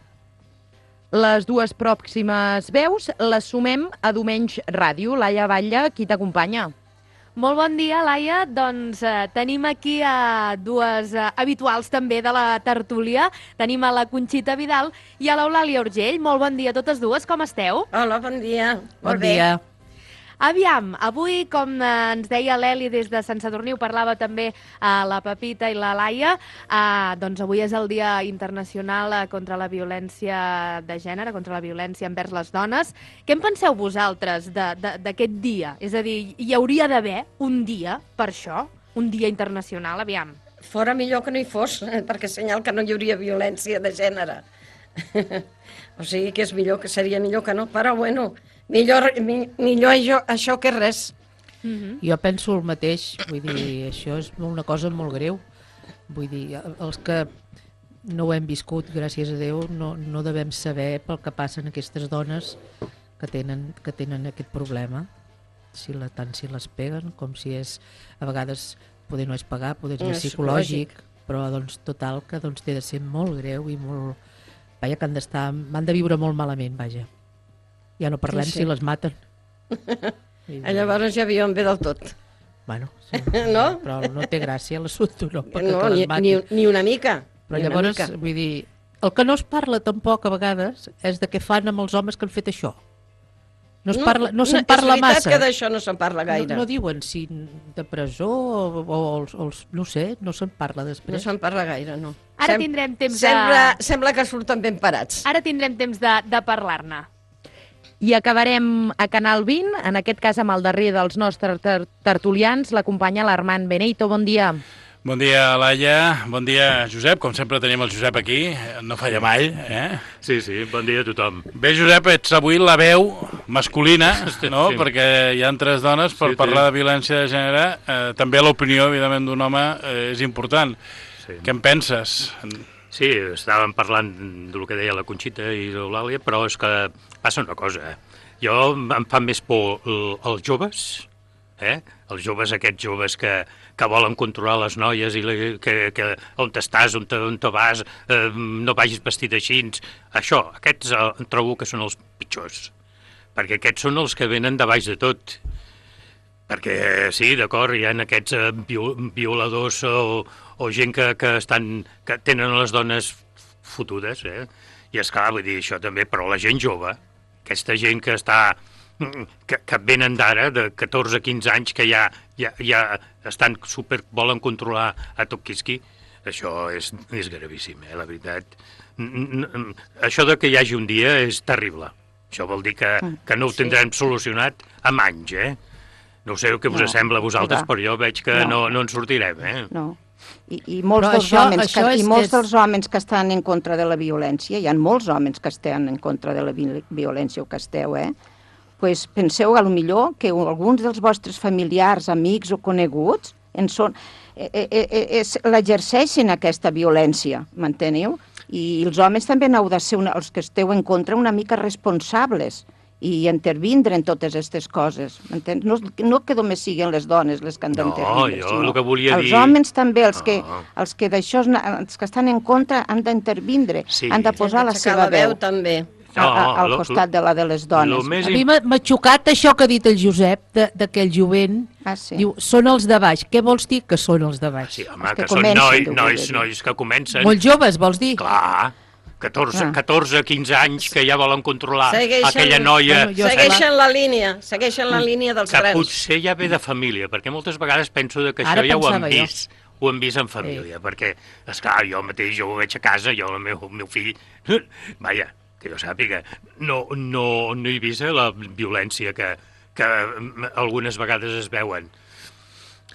[SPEAKER 1] Les dues pròximes veus les sumem a Domenys Ràdio. Laia Batlle, qui t'acompanya?
[SPEAKER 10] Molt bon dia, Laia. Doncs eh, tenim aquí a eh, dues eh, habituals també de la tertúlia. Tenim a la Conxita Vidal i a l'Eulàlia Urgell. Molt bon dia a totes dues, com esteu?
[SPEAKER 11] Hola, bon dia.
[SPEAKER 1] Bon Molt dia. Bé.
[SPEAKER 10] Aviam, avui, com eh, ens deia l'Eli des de Sant Sadurní, ho parlava també eh, la Pepita i la Laia, eh, doncs avui és el Dia Internacional eh, contra la Violència de Gènere, contra la violència envers les dones. Què en penseu vosaltres d'aquest dia? És a dir, hi hauria d'haver un dia per això, un dia internacional, aviam.
[SPEAKER 11] Fora millor que no hi fos, perquè senyal que no hi hauria violència de gènere. O sigui que és millor, que seria millor que no, però bueno, millor, mi, millor això, això que res.
[SPEAKER 12] Mm-hmm. Jo penso el mateix, vull dir, això és una cosa molt greu. Vull dir, els que no ho hem viscut, gràcies a Déu, no, no devem saber pel que passen aquestes dones que tenen, que tenen aquest problema, si la, tant si les peguen com si és, a vegades, poder no és pagar, poder és més psicològic, però doncs total que doncs, té de ser molt greu i molt... Vaja, que han d'estar, van de viure molt malament, vaja. Ja no parlem sí, sí. si les maten.
[SPEAKER 11] I llavors ja viuen bé del tot.
[SPEAKER 12] Bueno, sí,
[SPEAKER 11] no?
[SPEAKER 12] Però no té gràcia l'assumpte, no, perquè
[SPEAKER 11] no,
[SPEAKER 12] que les matin.
[SPEAKER 11] Ni, ni una mica.
[SPEAKER 12] Però llavors, mica. vull dir, el que no es parla tampoc a vegades és de què fan amb els homes que han fet això. No, es parla, no, no se'n parla massa.
[SPEAKER 11] És veritat que d'això no se'n parla gaire.
[SPEAKER 12] No, no diuen si de presó o, o els, els, no sé, no se'n parla després.
[SPEAKER 11] No se'n parla gaire, no.
[SPEAKER 10] Ara Sem tindrem temps
[SPEAKER 11] sembla,
[SPEAKER 10] de...
[SPEAKER 11] Sembla que surten ben parats.
[SPEAKER 10] Ara tindrem temps de, de parlar-ne.
[SPEAKER 1] I acabarem a Canal vint, en aquest cas amb el darrer dels nostres ter tertulians, l'acompanya l'Armand Beneito. Bon dia.
[SPEAKER 13] Bon dia, Laia. Bon dia, Josep. Com sempre tenim el Josep aquí. No falla mai, eh?
[SPEAKER 14] Sí, sí. Bon dia a tothom.
[SPEAKER 13] Bé, Josep, ets avui la veu masculina, no? Sí. Perquè hi ha tres dones per sí, parlar sí. de violència de gènere. Eh, també l'opinió, evidentment, d'un home eh, és important. Sí. Què en penses?
[SPEAKER 14] Sí, estàvem parlant del que deia la Conxita i l'Eulàlia, però és que passa una cosa. Jo em fa més por els joves, eh? Els joves, aquests joves que, que volen controlar les noies i la, que, que on estàs, on te, on te vas, eh, no vagis vestit així. Això, aquests eh, trobo que són els pitjors, perquè aquests són els que venen de baix de tot. Perquè sí, d'acord, hi ha aquests eh, violadors o, o gent que, que, estan, que tenen les dones fotudes, eh? I esclar, vull dir, això també, però la gent jove, aquesta gent que està... que, que venen d'ara, de catorze a quinze anys, que ja, ja, ja estan super, volen controlar a tot quisqui, això és, és gravíssim, eh, la veritat. Això de que hi hagi un dia és terrible. Això vol dir que, que no ho tindrem solucionat amb anys, eh? No sé què us no, sembla a vosaltres, clar. Però jo veig que no, no, no en sortirem, eh?
[SPEAKER 9] No. I, i, molts dels això, homes això que, és, i molts és... dels homes que estan en contra de la violència, hi ha molts homes que estan en contra de la violència o que esteu, eh? Pues penseu, a lo millor, que alguns dels vostres familiars, amics o coneguts en són, eh, eh, eh, l'exerceixen aquesta violència, m'enteneu? I els homes també n'heu de ser, una, els que esteu en contra, una mica responsables i intervindre en totes aquestes coses, m'entens? No, no que només siguin les dones les que han d'intervindre,
[SPEAKER 14] no, jo el que volia
[SPEAKER 9] els
[SPEAKER 14] dir...
[SPEAKER 9] homes també, els que, no. els que d'això, els que estan en contra han d'intervindre, sí. han de posar la seva veu.
[SPEAKER 11] també.
[SPEAKER 9] a, a, al costat de la de les dones.
[SPEAKER 12] A mi m'ha xocat això que ha dit el Josep, d'aquell jovent.
[SPEAKER 9] Ah, sí.
[SPEAKER 12] Diu, són els de baix. Què vols dir que són els de baix?
[SPEAKER 14] Sí, home, que, que són noi, nois, nois que comencen.
[SPEAKER 12] Molt joves, vols dir?
[SPEAKER 14] Clar, catorze,
[SPEAKER 12] Ah.
[SPEAKER 14] catorze, quinze anys que ja volen controlar
[SPEAKER 11] Segueixen,
[SPEAKER 14] aquella noia.
[SPEAKER 11] Bueno, segueixen la línia, segueixen la línia dels
[SPEAKER 14] Que
[SPEAKER 11] grans.
[SPEAKER 14] potser ja ve de família, perquè moltes vegades penso que
[SPEAKER 11] Ara
[SPEAKER 14] això ja ho hem
[SPEAKER 11] pensava jo.
[SPEAKER 14] vist. Ho hem vist en família, perquè, esclar, jo mateix, jo ho veig a casa, jo, el meu, el meu fill, vaja, que jo sàpiga, no, no, no he vist la violència que, que algunes vegades es veuen.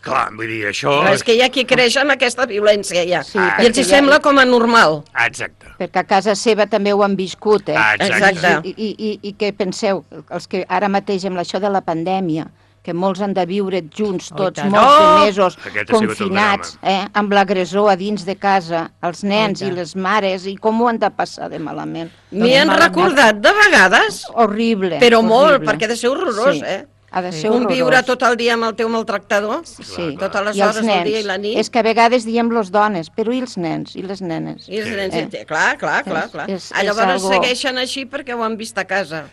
[SPEAKER 14] Clar, vull dir, això...
[SPEAKER 11] Però és que hi ha qui creix amb aquesta violència, ja.
[SPEAKER 9] Sí,
[SPEAKER 11] I els hi
[SPEAKER 9] perquè
[SPEAKER 11] sembla
[SPEAKER 9] ja-
[SPEAKER 11] com a normal.
[SPEAKER 14] Exacte.
[SPEAKER 9] Perquè a casa seva també ho han viscut, eh?
[SPEAKER 11] Ah, exacte.
[SPEAKER 9] I, i, i, I què penseu? Els que ara mateix amb això de la pandèmia, que molts han de viure junts,
[SPEAKER 11] Oh,
[SPEAKER 9] tots,
[SPEAKER 11] i tant.
[SPEAKER 9] molts de
[SPEAKER 11] Oh!
[SPEAKER 9] mesos,
[SPEAKER 14] Aquest ha sigut el
[SPEAKER 9] confinats, eh? Amb l'agressor a dins de casa, els nens
[SPEAKER 11] Oh, i
[SPEAKER 9] i
[SPEAKER 11] tant.
[SPEAKER 9] les mares, i com ho han de passar de malament?
[SPEAKER 11] M'hi han recordat de vegades.
[SPEAKER 9] Horrible.
[SPEAKER 11] Però molt,
[SPEAKER 9] horrible.
[SPEAKER 11] perquè ha de ser horrorós,
[SPEAKER 9] Sí.
[SPEAKER 11] eh?
[SPEAKER 9] Ha de ser
[SPEAKER 11] Conviure
[SPEAKER 9] horrorós.
[SPEAKER 11] tot el dia amb el teu maltractador,
[SPEAKER 9] Sí.
[SPEAKER 11] totes les
[SPEAKER 9] I els
[SPEAKER 11] hores del
[SPEAKER 9] nens.
[SPEAKER 11] dia i la nit.
[SPEAKER 9] És que a vegades diem les dones, però i els nens i les nenes?
[SPEAKER 11] I els nens,
[SPEAKER 9] Eh.
[SPEAKER 11] eh? clar, clar, clar.
[SPEAKER 9] És-
[SPEAKER 11] clar.
[SPEAKER 9] és-
[SPEAKER 11] Ah,
[SPEAKER 9] és
[SPEAKER 11] Llavors
[SPEAKER 9] algo-
[SPEAKER 11] segueixen així perquè ho han vist a casa.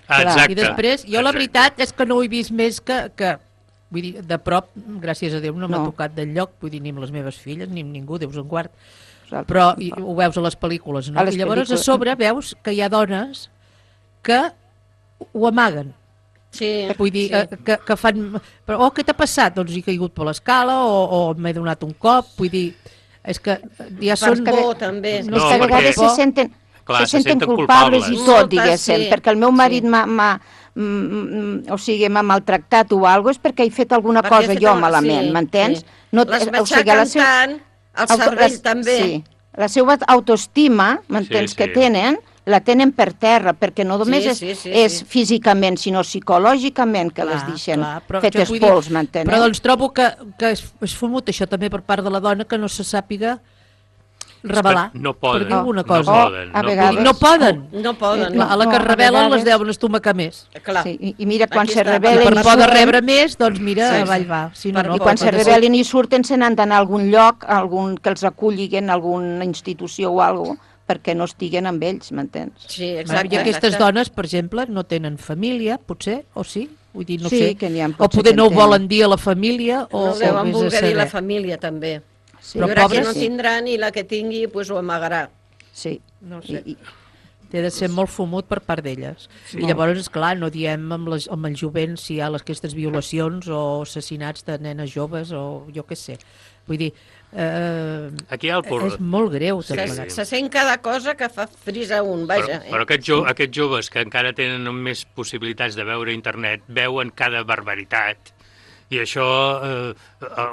[SPEAKER 12] I després, jo la veritat és que no ho he vist més que, que vull dir, de prop, gràcies a Déu, no m'ha
[SPEAKER 9] No.
[SPEAKER 12] tocat d'enlloc, vull dir, ni amb les meves filles, ni amb ningú, Déus en guard.
[SPEAKER 9] Nosaltres
[SPEAKER 12] Però
[SPEAKER 9] tampoc.
[SPEAKER 12] i, ho veus a les pel·lícules, no?
[SPEAKER 9] A les
[SPEAKER 12] I llavors
[SPEAKER 9] pel·lícules.
[SPEAKER 12] a sobre veus que hi ha dones que ho amaguen.
[SPEAKER 11] Sí,
[SPEAKER 12] Vull dir,
[SPEAKER 11] sí.
[SPEAKER 12] eh, que, que fan... Però, oh, què t'ha passat? Doncs he caigut per l'escala o, o m'he donat un cop, vull dir... És que ja
[SPEAKER 11] Per
[SPEAKER 12] són...
[SPEAKER 11] por, també.
[SPEAKER 9] No, és que a vegades se senten,
[SPEAKER 14] Clar,
[SPEAKER 9] se
[SPEAKER 14] se
[SPEAKER 9] senten
[SPEAKER 14] senten
[SPEAKER 9] culpables,
[SPEAKER 14] culpables.
[SPEAKER 9] i tot,
[SPEAKER 11] Moltes,
[SPEAKER 9] diguéssim,
[SPEAKER 11] sí.
[SPEAKER 9] perquè el meu marit m'ha... m'ha mm, mm, o sigui, m'ha maltractat o alguna cosa, és perquè he fet alguna
[SPEAKER 11] Perquè
[SPEAKER 9] cosa
[SPEAKER 11] he fet
[SPEAKER 9] jo
[SPEAKER 11] alguna-
[SPEAKER 9] malament,
[SPEAKER 11] sí,
[SPEAKER 9] m'entens?
[SPEAKER 11] sí.
[SPEAKER 9] No,
[SPEAKER 11] Les
[SPEAKER 9] o sigui, la
[SPEAKER 11] matxaquen tant, el cervell
[SPEAKER 9] les-
[SPEAKER 11] també.
[SPEAKER 9] Sí, la seva autoestima, m'entens,
[SPEAKER 11] Sí,
[SPEAKER 9] que
[SPEAKER 11] sí.
[SPEAKER 9] tenen, la tenen per terra, perquè no només
[SPEAKER 11] Sí,
[SPEAKER 9] és,
[SPEAKER 11] sí, sí,
[SPEAKER 9] és
[SPEAKER 11] sí.
[SPEAKER 9] físicament, sinó psicològicament que les deixen
[SPEAKER 12] però
[SPEAKER 9] fetes
[SPEAKER 12] jo vull dir-
[SPEAKER 9] pols, m'entens?
[SPEAKER 12] Però doncs trobo que, que és, és fumut això també per part de la dona que no se sàpiga revelar,
[SPEAKER 14] no poden,
[SPEAKER 12] per dir alguna
[SPEAKER 14] no
[SPEAKER 12] cosa.
[SPEAKER 14] poden,
[SPEAKER 9] a
[SPEAKER 14] no
[SPEAKER 9] vegades-
[SPEAKER 12] No poden.
[SPEAKER 11] No poden,
[SPEAKER 12] Clar,
[SPEAKER 11] no.
[SPEAKER 12] a la que
[SPEAKER 9] No, a
[SPEAKER 12] revelen les
[SPEAKER 9] vegades-
[SPEAKER 12] deuen estomacar més.
[SPEAKER 11] Clar.
[SPEAKER 9] Sí, i, i mira, quan
[SPEAKER 11] Aquí
[SPEAKER 9] se
[SPEAKER 11] està.
[SPEAKER 9] revelen...
[SPEAKER 12] I per
[SPEAKER 9] i
[SPEAKER 12] por de
[SPEAKER 9] surten-
[SPEAKER 12] rebre més, doncs mira,
[SPEAKER 9] Sí, sí.
[SPEAKER 12] avall va. Si no, no,
[SPEAKER 9] I quan se
[SPEAKER 12] pot ser.
[SPEAKER 9] rebel·lin i surten se n'han d'anar a algun lloc, a algun, que els acullin, a alguna institució o alguna cosa, perquè no estiguen amb ells, m'entens?
[SPEAKER 11] Sí,
[SPEAKER 12] I aquestes dones, per exemple, no tenen família, potser, o sí? Vull dir, no
[SPEAKER 9] Sí,
[SPEAKER 12] sé.
[SPEAKER 9] que n'hi ha,
[SPEAKER 12] o
[SPEAKER 9] potser
[SPEAKER 12] poder
[SPEAKER 9] que
[SPEAKER 12] no ho
[SPEAKER 9] en tenen.
[SPEAKER 12] volen dir a la família, o,
[SPEAKER 11] No deuen
[SPEAKER 12] o vés a
[SPEAKER 11] voler dir la
[SPEAKER 12] saber.
[SPEAKER 11] família, també.
[SPEAKER 9] Sí.
[SPEAKER 11] Hi
[SPEAKER 12] Però
[SPEAKER 11] haurà qui
[SPEAKER 12] pobres,
[SPEAKER 11] no
[SPEAKER 12] sí.
[SPEAKER 11] tindran i la que tingui pues, ho amagarà.
[SPEAKER 9] Sí.
[SPEAKER 12] No sé. I, té de ser molt fumut per part d'elles.
[SPEAKER 11] Sí.
[SPEAKER 12] I llavors, és clar, no diem amb, les, amb el jovent si hi ha les, aquestes violacions o assassinats de nenes joves o jo què sé. Vull dir, eh,
[SPEAKER 14] Aquí hi ha el por-
[SPEAKER 12] és molt greu.
[SPEAKER 14] Sí,
[SPEAKER 12] tot
[SPEAKER 14] sí.
[SPEAKER 12] plegat.
[SPEAKER 11] Se sent cada cosa que fa frisa un, vaja.
[SPEAKER 14] Però, però aquests, jo, aquests joves que encara tenen més possibilitats de veure internet veuen cada barbaritat i això eh,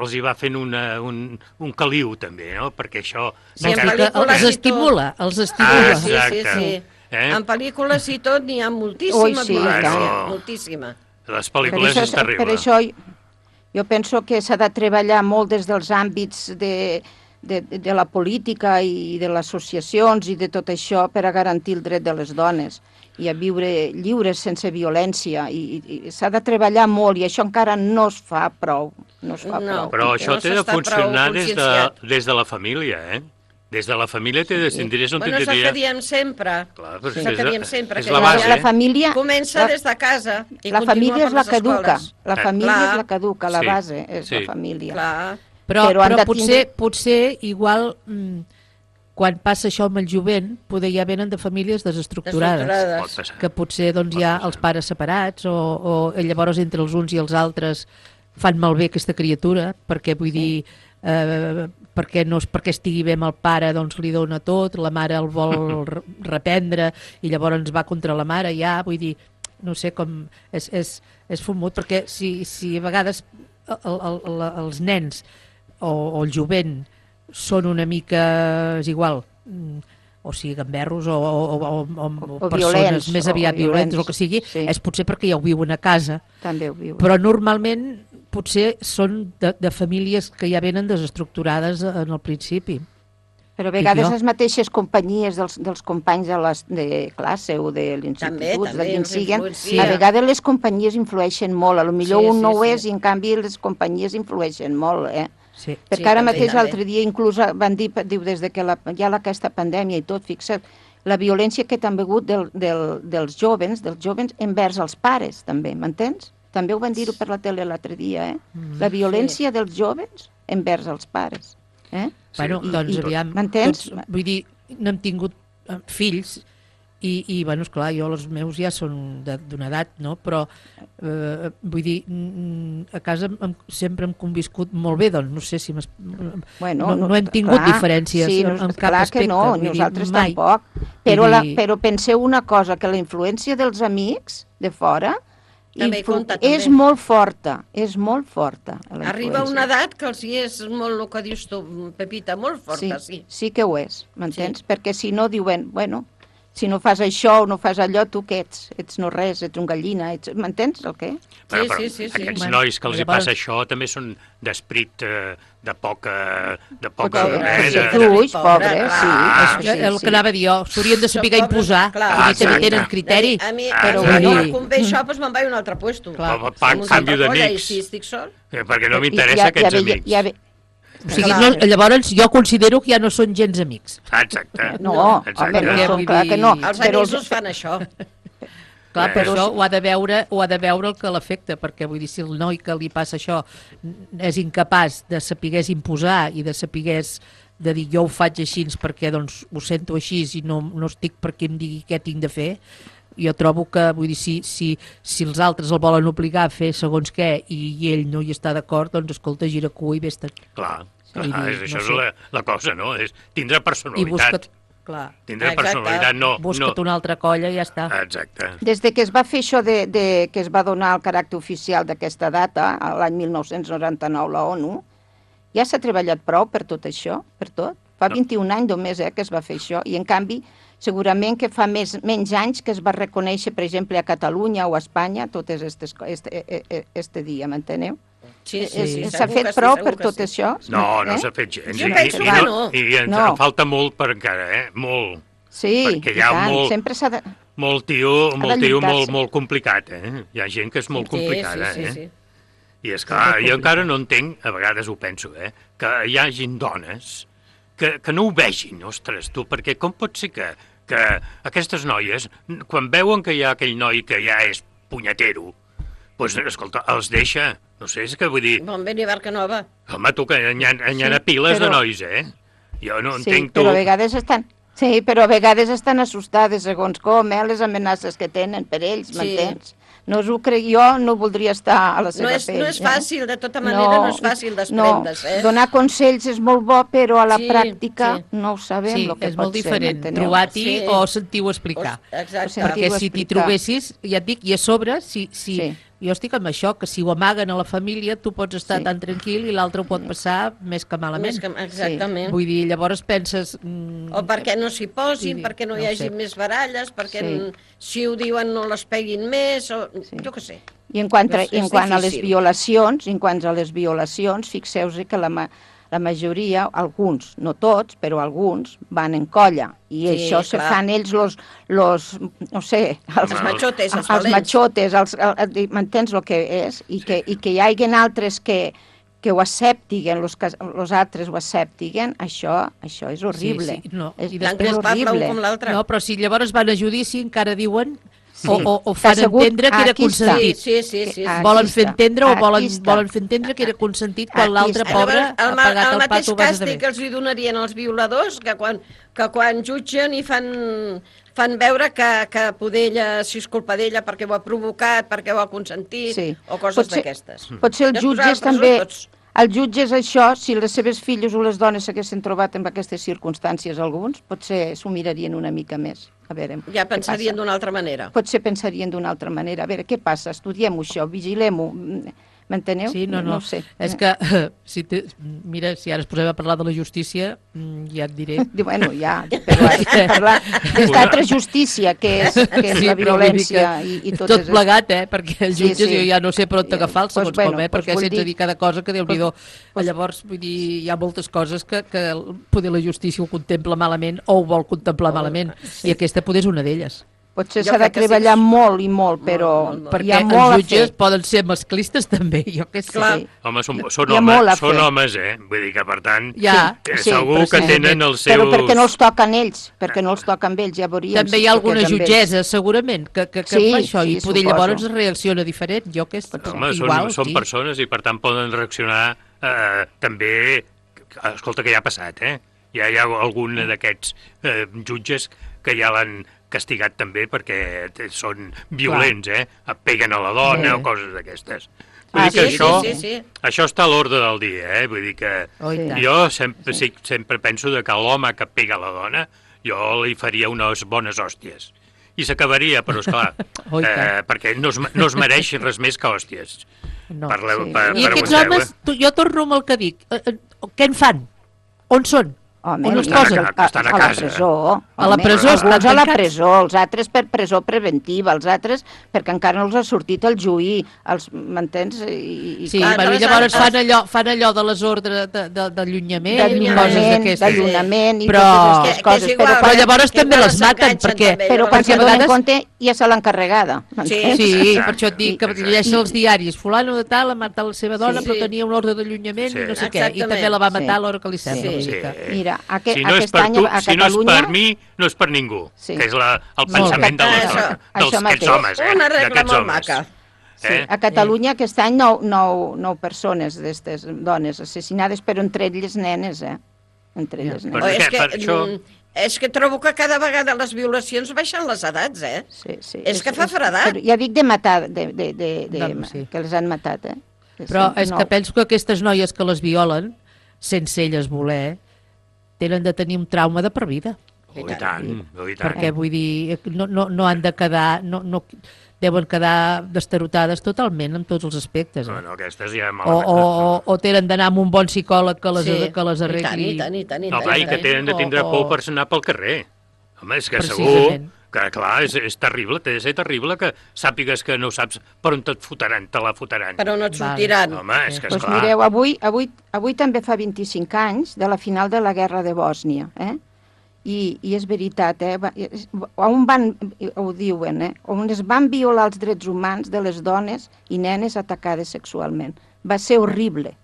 [SPEAKER 14] els hi va fent una, un, un caliu també, no? Perquè això...
[SPEAKER 11] Sí, en
[SPEAKER 14] encara-
[SPEAKER 11] pel·lícules
[SPEAKER 12] els
[SPEAKER 11] i tot.
[SPEAKER 12] estimula, els
[SPEAKER 14] Ah,
[SPEAKER 12] estimula.
[SPEAKER 11] Sí, sí,
[SPEAKER 14] exacte.
[SPEAKER 11] sí.
[SPEAKER 14] Eh?
[SPEAKER 11] En pel·lícules i tot n'hi ha moltíssima
[SPEAKER 9] Ui, sí,
[SPEAKER 11] violència,
[SPEAKER 14] tant.
[SPEAKER 11] moltíssima.
[SPEAKER 14] Les
[SPEAKER 9] Per
[SPEAKER 14] pel·lícules
[SPEAKER 9] això,
[SPEAKER 14] és terrible.
[SPEAKER 9] per això jo penso que s'ha de treballar molt des dels àmbits de, de, de la política i de les associacions i de tot això per a garantir el dret de les dones i a viure lliures sense violència. I, i, i s'ha de treballar molt i això encara no es fa prou. No es fa
[SPEAKER 11] No.
[SPEAKER 9] prou.
[SPEAKER 14] Però això
[SPEAKER 11] no
[SPEAKER 14] té de
[SPEAKER 11] s'està prou
[SPEAKER 14] funcionar des de,
[SPEAKER 11] conscienciat.
[SPEAKER 14] des de la família, eh? Des de la família té de... Si diries on
[SPEAKER 11] Bueno, és el que
[SPEAKER 14] tindria...
[SPEAKER 11] diem sempre.
[SPEAKER 14] Clar, però
[SPEAKER 11] és
[SPEAKER 14] és
[SPEAKER 11] el que
[SPEAKER 14] la-
[SPEAKER 11] diem sempre.
[SPEAKER 14] és
[SPEAKER 11] que
[SPEAKER 14] la base.
[SPEAKER 9] La família...
[SPEAKER 11] Comença
[SPEAKER 9] la-
[SPEAKER 11] des de casa i
[SPEAKER 9] La
[SPEAKER 11] continua
[SPEAKER 9] família és
[SPEAKER 11] per
[SPEAKER 9] la
[SPEAKER 11] les
[SPEAKER 9] que educa.
[SPEAKER 11] escoles.
[SPEAKER 9] La
[SPEAKER 14] Eh.
[SPEAKER 9] família
[SPEAKER 11] Clar.
[SPEAKER 9] és la que educa, la
[SPEAKER 14] Sí,
[SPEAKER 9] base és
[SPEAKER 14] sí.
[SPEAKER 9] la família.
[SPEAKER 11] Clar.
[SPEAKER 12] Però,
[SPEAKER 9] Però han
[SPEAKER 12] però
[SPEAKER 9] de
[SPEAKER 12] potser,
[SPEAKER 9] tindre-
[SPEAKER 12] potser igual, mm, quan passa això amb el jovent, poder ja venen de famílies desestructurades,
[SPEAKER 11] Desestructurades.
[SPEAKER 14] Pot passar.
[SPEAKER 12] que potser doncs, hi ha els pares separats o, o llavors entre els uns i els altres fan malbé aquesta criatura, perquè vull dir, eh, perquè, no, perquè estigui bé amb el pare doncs li dona tot, la mare el vol re- reprendre i llavors ens va contra la mare ja, vull dir, no sé com és, és, és fumut, perquè si, si a vegades el, el, el, els nens o, o el jovent són una mica, és igual, mm, o sigui, gamberros o, o, o, o, o,
[SPEAKER 9] O
[SPEAKER 12] persones
[SPEAKER 9] violents,
[SPEAKER 12] més
[SPEAKER 9] o-
[SPEAKER 12] aviat
[SPEAKER 9] o
[SPEAKER 12] violents,
[SPEAKER 9] violents,
[SPEAKER 12] o el que sigui,
[SPEAKER 9] sí.
[SPEAKER 12] és potser perquè ja ho viuen a casa,
[SPEAKER 9] També ho viu.
[SPEAKER 12] però normalment potser són de, de famílies que ja venen desestructurades en el principi.
[SPEAKER 9] Però a vegades
[SPEAKER 12] jo.
[SPEAKER 9] les mateixes companyies dels, dels companys de, les, de classe o de
[SPEAKER 11] També,
[SPEAKER 9] l'institut, de
[SPEAKER 11] també
[SPEAKER 9] quin
[SPEAKER 11] ens
[SPEAKER 9] siguen,
[SPEAKER 11] influencia.
[SPEAKER 9] a vegades les companyies influeixen molt. A lo millor
[SPEAKER 11] Sí,
[SPEAKER 9] un
[SPEAKER 11] sí,
[SPEAKER 9] no ho
[SPEAKER 11] sí.
[SPEAKER 9] és i en canvi les companyies influeixen molt, eh?
[SPEAKER 12] Sí.
[SPEAKER 9] Perquè
[SPEAKER 11] Sí,
[SPEAKER 9] ara
[SPEAKER 11] també,
[SPEAKER 9] mateix
[SPEAKER 11] també.
[SPEAKER 9] l'altre dia inclús van dir, diu, des de que la, hi ha la, aquesta pandèmia i tot, fixa't, la violència que també ha hagut del, del, dels jovens, dels jovens envers els pares, també, m'entens? També ho van dir-ho per la tele l'altre dia, eh?
[SPEAKER 12] Mm,
[SPEAKER 9] la violència sí. dels jovens envers els pares. Eh?
[SPEAKER 12] Bueno,
[SPEAKER 9] I,
[SPEAKER 12] doncs
[SPEAKER 9] i,
[SPEAKER 12] aviam,
[SPEAKER 9] m'entens?
[SPEAKER 12] Tots, vull dir, no hem tingut eh, fills, i, i bueno, esclar, jo els meus ja són d'una edat, no? Però eh, vull dir, a casa hem, sempre hem conviscut molt bé, doncs no sé si
[SPEAKER 9] bueno,
[SPEAKER 12] no, no hem tingut
[SPEAKER 9] clar,
[SPEAKER 12] diferències
[SPEAKER 9] sí,
[SPEAKER 12] en, en cap
[SPEAKER 9] clar
[SPEAKER 12] aspecte.
[SPEAKER 9] Que no,
[SPEAKER 12] vull
[SPEAKER 9] nosaltres
[SPEAKER 12] dir, mai.
[SPEAKER 9] tampoc. Però,
[SPEAKER 12] dir...
[SPEAKER 9] la, però penseu una cosa, que la influència dels amics de fora
[SPEAKER 11] també
[SPEAKER 9] influ...
[SPEAKER 11] compta, també.
[SPEAKER 9] és molt forta, és molt forta.
[SPEAKER 11] Arriba una edat que els hi és molt el que dius tu, Pepita, molt forta, sí.
[SPEAKER 9] Sí, sí que ho és, m'entens? Sí. Perquè si no diuen, bueno, si no fas això o no fas allò, tu què ets? Ets no res, ets un gallina, ets... m'entens el què?
[SPEAKER 14] Però,
[SPEAKER 11] sí,
[SPEAKER 14] però
[SPEAKER 11] sí, sí, sí.
[SPEAKER 14] aquests
[SPEAKER 11] Bueno,
[SPEAKER 14] nois que els hi
[SPEAKER 11] llavors...
[SPEAKER 14] passa això també són d'esprit eh, de poca... de poca...
[SPEAKER 9] Pobre,
[SPEAKER 14] eh,
[SPEAKER 9] sí,
[SPEAKER 14] de...
[SPEAKER 9] fluix, pobre, sí.
[SPEAKER 12] Ah,
[SPEAKER 9] sí,
[SPEAKER 12] el
[SPEAKER 9] sí.
[SPEAKER 12] que anava a dir jo, s'haurien de saber imposar,
[SPEAKER 11] clar.
[SPEAKER 12] vull dir, també
[SPEAKER 14] Exacte.
[SPEAKER 12] tenen criteri.
[SPEAKER 11] A mi,
[SPEAKER 14] Ah,
[SPEAKER 11] però
[SPEAKER 14] sí.
[SPEAKER 11] bueno,
[SPEAKER 14] Sí.
[SPEAKER 11] quan ve això, doncs me'n vaig a un altre puesto.
[SPEAKER 14] Clar. Pa- pa-
[SPEAKER 11] Som una
[SPEAKER 14] canvio
[SPEAKER 11] altra colla,
[SPEAKER 14] d'amics.
[SPEAKER 11] I si estic sol...
[SPEAKER 14] Eh, perquè no
[SPEAKER 9] I
[SPEAKER 14] m'interessa
[SPEAKER 9] ja-
[SPEAKER 14] aquests
[SPEAKER 9] ja ve-
[SPEAKER 14] amics.
[SPEAKER 9] Ja ve...
[SPEAKER 12] O sigui, no, llavors jo considero que ja no són gens amics.
[SPEAKER 14] Exacte.
[SPEAKER 9] No,
[SPEAKER 14] Exacte.
[SPEAKER 9] home, no,
[SPEAKER 12] Perquè,
[SPEAKER 9] són,
[SPEAKER 12] vull
[SPEAKER 9] clar
[SPEAKER 12] dir-
[SPEAKER 9] que no.
[SPEAKER 11] Els
[SPEAKER 9] Però
[SPEAKER 11] amics us fan això.
[SPEAKER 12] Clar,
[SPEAKER 14] Eh.
[SPEAKER 12] però això ho ha de veure, ho ha de veure el que l'afecta, perquè vull dir, si el noi que li passa això és incapaç de saber imposar i de saber de dir jo ho faig així perquè doncs ho sento així i no, no estic perquè em digui què tinc de fer, jo trobo que, vull dir, si, si, si els altres el volen obligar a fer segons què i, i ell no hi està d'acord, doncs escolta, gira cua i vés-te'n.
[SPEAKER 14] Clar, clar
[SPEAKER 12] Vull dir,
[SPEAKER 14] és, això
[SPEAKER 12] no
[SPEAKER 14] és
[SPEAKER 12] sé.
[SPEAKER 14] la, la cosa, no? És tindre
[SPEAKER 12] I
[SPEAKER 14] personalitat.
[SPEAKER 12] busca't, clar,
[SPEAKER 14] Tindre
[SPEAKER 11] Exacte.
[SPEAKER 14] personalitat, no...
[SPEAKER 12] busca't
[SPEAKER 14] no.
[SPEAKER 12] una altra colla i ja està.
[SPEAKER 14] Exacte.
[SPEAKER 9] Des de que es va fer això de, de, que es va donar el caràcter oficial d'aquesta data, a l'any mil nou-cents noranta-nou, la ONU, ja s'ha treballat prou per tot això, per tot. Fa
[SPEAKER 14] No.
[SPEAKER 9] vint-i-un anys només eh, que es va fer això, i en canvi segurament que fa més, menys anys que es va reconèixer, per exemple, a Catalunya o a Espanya, tot és este, este, este dia, m'enteneu?
[SPEAKER 11] Sí, sí, sí,
[SPEAKER 9] S'ha
[SPEAKER 11] segur
[SPEAKER 9] fet
[SPEAKER 11] que sí,
[SPEAKER 9] prou
[SPEAKER 11] segur
[SPEAKER 9] per
[SPEAKER 11] que
[SPEAKER 9] tot
[SPEAKER 11] sí.
[SPEAKER 9] això?
[SPEAKER 14] No, no
[SPEAKER 9] Eh?
[SPEAKER 14] s'ha fet gens.
[SPEAKER 11] Jo
[SPEAKER 14] I,
[SPEAKER 11] penso
[SPEAKER 14] i,
[SPEAKER 11] que
[SPEAKER 14] no,
[SPEAKER 11] no.
[SPEAKER 14] I ens
[SPEAKER 9] No.
[SPEAKER 14] en falta molt per encara, eh? Molt.
[SPEAKER 9] Sí,
[SPEAKER 14] Perquè
[SPEAKER 9] i
[SPEAKER 14] hi ha
[SPEAKER 9] tant,
[SPEAKER 14] molt-
[SPEAKER 9] sempre s'ha de...
[SPEAKER 14] Molt tio,
[SPEAKER 9] de
[SPEAKER 14] molt, tio
[SPEAKER 9] lluitar-se.
[SPEAKER 14] molt, molt complicat, eh? Hi ha gent que és molt
[SPEAKER 11] Sí,
[SPEAKER 14] complicada,
[SPEAKER 11] sí, sí,
[SPEAKER 14] eh?
[SPEAKER 11] sí.
[SPEAKER 14] I és clar, jo encara no entenc, a vegades ho penso, eh? Que hi hagin dones que, que no ho vegin, ostres, tu, perquè com pot ser que, que aquestes noies, quan veuen que hi ha aquell noi que ja és punyetero, doncs, escolta, els deixa. No sé, és que vull dir...
[SPEAKER 11] Bon vent i barca nova.
[SPEAKER 14] Home, tu, que hi ha, hi ha
[SPEAKER 9] Sí,
[SPEAKER 14] piles de
[SPEAKER 9] però-
[SPEAKER 14] nois, eh? Jo no
[SPEAKER 9] Sí,
[SPEAKER 14] entenc tu...
[SPEAKER 9] però a vegades estan... Sí, però a vegades estan assustades segons com, eh, les amenaces que tenen per ells,
[SPEAKER 11] Sí.
[SPEAKER 9] m'entens? No us ho crec, jo no voldria estar a la seva
[SPEAKER 11] No és,
[SPEAKER 9] pell.
[SPEAKER 11] no és
[SPEAKER 9] eh?
[SPEAKER 11] fàcil, de tota manera, no, és fàcil desprendre's,
[SPEAKER 9] no.
[SPEAKER 11] eh?
[SPEAKER 9] Donar consells és molt bo, però a la
[SPEAKER 11] Sí,
[SPEAKER 9] pràctica
[SPEAKER 11] sí.
[SPEAKER 9] no ho sabem
[SPEAKER 12] Sí,
[SPEAKER 9] el que
[SPEAKER 12] és
[SPEAKER 9] pot
[SPEAKER 12] molt
[SPEAKER 9] ser,
[SPEAKER 12] diferent
[SPEAKER 9] m'enteneu?
[SPEAKER 12] trobar-t'hi
[SPEAKER 11] Sí.
[SPEAKER 12] o sentir-ho explicar.
[SPEAKER 11] Exacte.
[SPEAKER 9] Sentir-ho
[SPEAKER 12] Perquè si t'hi
[SPEAKER 9] explicar.
[SPEAKER 12] trobessis, ja et dic, i a sobre, si, si,
[SPEAKER 9] Sí.
[SPEAKER 12] jo estic amb això, que si ho amaguen a la família, tu pots estar
[SPEAKER 9] Sí.
[SPEAKER 12] tan tranquil i l'altre ho pot passar més que malament.
[SPEAKER 11] Més que, exactament.
[SPEAKER 12] Vull dir, llavors penses... Mm,
[SPEAKER 11] O perquè no s'hi posin,
[SPEAKER 12] Sí,
[SPEAKER 11] perquè no,
[SPEAKER 12] no
[SPEAKER 11] hi
[SPEAKER 12] ho
[SPEAKER 11] hagi
[SPEAKER 12] sé.
[SPEAKER 11] més baralles, perquè
[SPEAKER 9] Sí.
[SPEAKER 11] n- si ho diuen no les peguin més, o jo què sé.
[SPEAKER 9] I en quant, a,
[SPEAKER 11] És-
[SPEAKER 9] i en
[SPEAKER 11] és
[SPEAKER 9] quant a les
[SPEAKER 11] difícil.
[SPEAKER 9] violacions, i en quant a les violacions, fixeu-vos que la, ma la majoria, alguns, no tots, però alguns, van en colla. I
[SPEAKER 11] Sí,
[SPEAKER 9] això se
[SPEAKER 11] clar.
[SPEAKER 9] fan ells los, los no sé, els,
[SPEAKER 11] Els machotes, els
[SPEAKER 9] els
[SPEAKER 11] valents.
[SPEAKER 9] machotes, els, el, el, m'entens el que és? I, sí. que, i que hi hagin altres que, que ho acceptiguen, los, que, los altres ho acceptiguen, això, això és horrible.
[SPEAKER 12] Sí, sí, no.
[SPEAKER 9] És,
[SPEAKER 12] I
[SPEAKER 11] Tan
[SPEAKER 12] després
[SPEAKER 11] culpable un
[SPEAKER 9] horrible.
[SPEAKER 11] com l'altre.
[SPEAKER 12] No, però si llavors van a judici encara diuen
[SPEAKER 9] Sí.
[SPEAKER 12] o, o, o
[SPEAKER 9] Que
[SPEAKER 12] fan
[SPEAKER 9] ha sigut-
[SPEAKER 12] entendre que era
[SPEAKER 9] aquí està.
[SPEAKER 12] consentit.
[SPEAKER 11] Sí, sí, sí. sí.
[SPEAKER 9] Aquí
[SPEAKER 12] Volen
[SPEAKER 9] està,
[SPEAKER 12] fer entendre o
[SPEAKER 9] aquí
[SPEAKER 12] volen,
[SPEAKER 9] està.
[SPEAKER 12] volen fer entendre que era consentit quan
[SPEAKER 9] Aquí
[SPEAKER 12] l'altre
[SPEAKER 9] està.
[SPEAKER 12] pobre
[SPEAKER 11] Llavors,
[SPEAKER 12] ha
[SPEAKER 11] el, ma-
[SPEAKER 12] pagat
[SPEAKER 11] el
[SPEAKER 12] el
[SPEAKER 11] mateix
[SPEAKER 12] pato base de
[SPEAKER 11] càstig que els hi donarien als violadors, que quan, que quan jutgen i fan, fan veure que, que poder ella, si és culpa d'ella perquè ho ha provocat, perquè ho ha consentit,
[SPEAKER 9] Sí.
[SPEAKER 11] o coses
[SPEAKER 9] Potser-
[SPEAKER 11] d'aquestes.
[SPEAKER 9] Potser els
[SPEAKER 11] Ja es posaran
[SPEAKER 9] jutges
[SPEAKER 11] a presó
[SPEAKER 9] també...
[SPEAKER 11] tots.
[SPEAKER 9] Els jutges això, si les seves filles o les dones s'haguessin trobat en aquestes circumstàncies alguns, potser s'ho mirarien una mica més. A veure,
[SPEAKER 11] Ja
[SPEAKER 9] què
[SPEAKER 11] pensarien
[SPEAKER 9] passa.
[SPEAKER 11] d'una altra manera.
[SPEAKER 9] Potser pensarien d'una altra manera. A veure, què passa? Estudiem-ho això, vigilem-ho. M'enteneu?
[SPEAKER 12] Sí, no, no.
[SPEAKER 9] No ho sé.
[SPEAKER 12] És que, si te, mira, si ara es posem a parlar de la justícia, mm, ja et diré.
[SPEAKER 9] Diu, bueno, ja, però has de parlar des d'altra justícia, que és, que és
[SPEAKER 12] Sí,
[SPEAKER 9] la
[SPEAKER 12] però vull dir
[SPEAKER 9] violència
[SPEAKER 12] que
[SPEAKER 9] i, i
[SPEAKER 12] tot,
[SPEAKER 9] tot,
[SPEAKER 12] tot plegat, eh? Perquè els
[SPEAKER 9] Sí,
[SPEAKER 12] jutges
[SPEAKER 9] sí.
[SPEAKER 12] jo ja no sé per on agafar
[SPEAKER 9] Pues
[SPEAKER 12] segons
[SPEAKER 9] bueno,
[SPEAKER 12] com, eh?
[SPEAKER 9] pues
[SPEAKER 12] Perquè
[SPEAKER 9] vull
[SPEAKER 12] sense
[SPEAKER 9] dir-
[SPEAKER 12] dir cada cosa que Déu-n'hi-do.
[SPEAKER 9] pues-
[SPEAKER 12] Llavors, vull dir, hi ha moltes coses que, que el- poder la justícia ho contempla malament o ho vol contemplar malament. I aquesta poder és una d'elles.
[SPEAKER 9] Potser s'ha de treballar sí. molt i molt, però molt, molt.
[SPEAKER 12] Perquè
[SPEAKER 9] hi ha molt
[SPEAKER 12] els jutges
[SPEAKER 9] a fer.
[SPEAKER 12] Poden ser masclistes també, jo què sé.
[SPEAKER 11] Clar.
[SPEAKER 12] Sí.
[SPEAKER 14] Home, són, són, homes, són homes, eh? Vull dir que, per tant,
[SPEAKER 12] ja,
[SPEAKER 14] sí, segur que sí. tenen els seus...
[SPEAKER 9] Però perquè no els toquen ells, perquè no els toquen ells, ja veuríem.
[SPEAKER 12] També hi ha alguna jutgessa, segurament, que, que, que
[SPEAKER 9] sí,
[SPEAKER 12] fa això,
[SPEAKER 9] sí,
[SPEAKER 12] i poder
[SPEAKER 9] suposo.
[SPEAKER 12] llavors reacciona diferent, jo què sé.
[SPEAKER 14] Home,
[SPEAKER 12] igual,
[SPEAKER 14] són, són
[SPEAKER 12] sí.
[SPEAKER 14] persones i, per tant, poden reaccionar eh, també... Escolta, què ja ha passat, eh? Ja hi ha algun d'aquests eh, jutges que ja l'han castigat també perquè són violents, eh? Et peguen a la dona sí. o coses d'aquestes. Vull
[SPEAKER 11] ah,
[SPEAKER 14] dir que
[SPEAKER 11] sí,
[SPEAKER 14] això,
[SPEAKER 11] sí, sí, sí.
[SPEAKER 14] això està a l'ordre del dia, eh? Vull dir que
[SPEAKER 12] oh,
[SPEAKER 14] jo sempre, sí, sempre penso que l'home que pega a la dona jo li faria unes bones hòsties. I s'acabaria, però esclar, oh, eh, perquè no es, no es mereix res més que hòsties.
[SPEAKER 12] No,
[SPEAKER 14] Parleu,
[SPEAKER 12] sí.
[SPEAKER 14] per,
[SPEAKER 12] I aquests homes, tu, jo torno amb el que dic, eh, eh, què en fan? On són?
[SPEAKER 9] Home,
[SPEAKER 12] on es
[SPEAKER 9] estan
[SPEAKER 12] posen?
[SPEAKER 9] A, a,
[SPEAKER 14] estan a,
[SPEAKER 9] a
[SPEAKER 14] casa.
[SPEAKER 9] la presó.
[SPEAKER 12] A la presó estan
[SPEAKER 9] Alguns a la
[SPEAKER 12] tancats.
[SPEAKER 9] presó, els altres per presó preventiva, els altres perquè encara no els ha sortit el juí, els m'entens? I,
[SPEAKER 12] sí, clar, bueno, llavors fan allò, fan allò de les ordres d'allunyament i coses d'aquestes.
[SPEAKER 9] D'allunyament i
[SPEAKER 12] però,
[SPEAKER 9] totes aquestes coses.
[SPEAKER 12] Igual, però, però llavors també les maten, perquè...
[SPEAKER 9] Però quan se'n donen compte ja se l'han carregada.
[SPEAKER 12] Sí, sí, per això et dic que llegeix els diaris. Fulano de tal ha matat la seva dona, però tenia un ordre d'allunyament i no sé què, i també la va matar a l'hora que li sembla.
[SPEAKER 9] Mira, aquest
[SPEAKER 14] Si no, tu,
[SPEAKER 9] a
[SPEAKER 14] si no és per mi, no és per ningú, sí. que és la, el pensament de les dones, dels aquests homes, eh?
[SPEAKER 11] Una regla molt maca.
[SPEAKER 9] Sí, a Catalunya aquest any nou, nou, nou persones d'aquestes dones assassinades, però entre elles nenes, eh? Entre elles nenes.
[SPEAKER 11] Oh, és, que, això... és que trobo que cada vegada les violacions baixen les edats, eh?
[SPEAKER 9] Sí, sí.
[SPEAKER 11] És, és que fa fredat.
[SPEAKER 9] Però ja dic de matar, de, de, de, de, de, sí. que les han matat, eh?
[SPEAKER 12] Però és que penso que aquestes noies que les violen, sense elles voler, tenen de tenir un trauma de per vida.
[SPEAKER 14] Oh, i tant, oh, i tant.
[SPEAKER 12] Perquè, vull dir, no, no, no han de quedar... No, no, deuen quedar destarotades totalment en tots els aspectes. Eh?
[SPEAKER 14] No, no, aquestes ja
[SPEAKER 12] o, o, o, o tenen d'anar amb un bon psicòleg que les, sí. que les arregli.
[SPEAKER 11] I tant, i tant, i tant.
[SPEAKER 14] No, clar, i que tenen de tindre por per anar pel carrer. Home, és que segur que, clar, és, és terrible, té de ser terrible que sàpigues que no saps per on te't fotran, te la fotran.
[SPEAKER 11] Però no et sortiran.
[SPEAKER 14] Vale. Home, és que
[SPEAKER 9] pues
[SPEAKER 14] esclar.
[SPEAKER 9] Mireu, avui, avui, avui també fa vint-i-cinc anys de la final de la guerra de Bòsnia, eh? I, i és veritat, eh? On van, ho diuen, eh? On es van violar els drets humans de les dones i nenes atacades sexualment. Va ser horrible,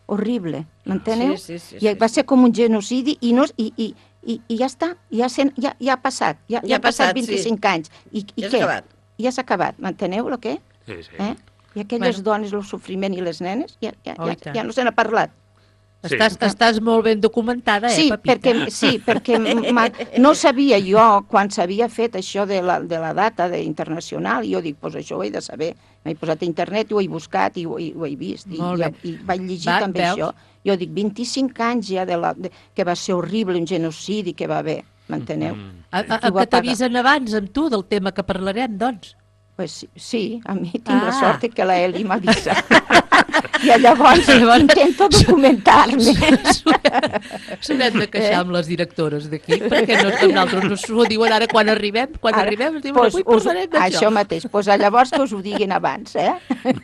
[SPEAKER 9] horrible, m'enteneu?
[SPEAKER 11] Sí, sí, sí,
[SPEAKER 9] I
[SPEAKER 11] sí,
[SPEAKER 9] va ser com un genocidi i, no, i, i, i, i ja està, ja, sen, ja, ja ha passat, ja, ja, ja ha passat vint-i-cinc sí. anys. I, i
[SPEAKER 11] ja
[SPEAKER 9] què?
[SPEAKER 11] Acabat.
[SPEAKER 9] Ja s'ha acabat, m'enteneu el què?
[SPEAKER 14] Sí, sí.
[SPEAKER 9] Eh? I aquelles bueno. dones, el sofriment i les nenes, ja, ja,
[SPEAKER 12] oh,
[SPEAKER 9] ja, ja no se n'ha parlat.
[SPEAKER 12] Sí. Estàs, estàs molt ben documentada, eh,
[SPEAKER 9] sí,
[SPEAKER 12] Pepita?
[SPEAKER 9] Perquè, sí, perquè no sabia jo, quan s'havia fet això de la, de la data de internacional, i jo dic, pues això ho he de saber. M'he posat a internet i ho he buscat i ho, i ho he vist. I, i, i vaig llegir va, també veus? Això. Jo dic, vint-i-cinc anys ja de la, de, que va ser horrible, un genocidi que va haver, m'enteneu?
[SPEAKER 12] Mm -hmm. A, a, a que t'avisen abans amb tu del tema que parlarem, doncs?
[SPEAKER 9] Pues sí, sí, a mi tinc ah. la sort que la Eli m'avisa. I llavors, llavors intento documentar-me.
[SPEAKER 12] S'haurem de queixar amb les directores d'aquí, perquè no, nosaltres no s'ho diuen ara quan arribem, quan ara, arribem ens diuen, pues, avui parlarem d'això.
[SPEAKER 9] Això mateix, doncs pues, llavors que us ho diguin abans, eh?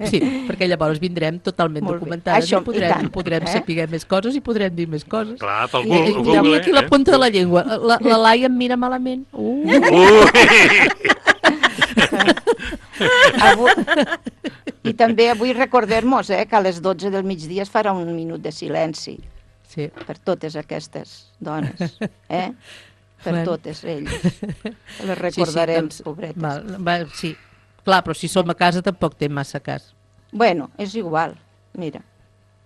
[SPEAKER 12] Sí, perquè llavors vindrem totalment documentades això, i podrem, i tant, podrem eh? saber més coses i podrem dir més coses.
[SPEAKER 14] Clar, pel Google.
[SPEAKER 12] I, i, Google, aquí eh? la punta de la llengua. La, la Laia em mira malament. Uh!
[SPEAKER 14] uh.
[SPEAKER 9] Avui, i també avui recordem-nos eh, que a les dotze del migdia es farà un minut de silenci
[SPEAKER 12] sí.
[SPEAKER 9] per totes aquestes dones, eh? per bueno. totes elles. Les recordarem, sí, sí, doncs, pobretes.
[SPEAKER 12] Val, va, sí, clar, però si som a casa tampoc té massa cas.
[SPEAKER 9] Bueno, és igual, mira,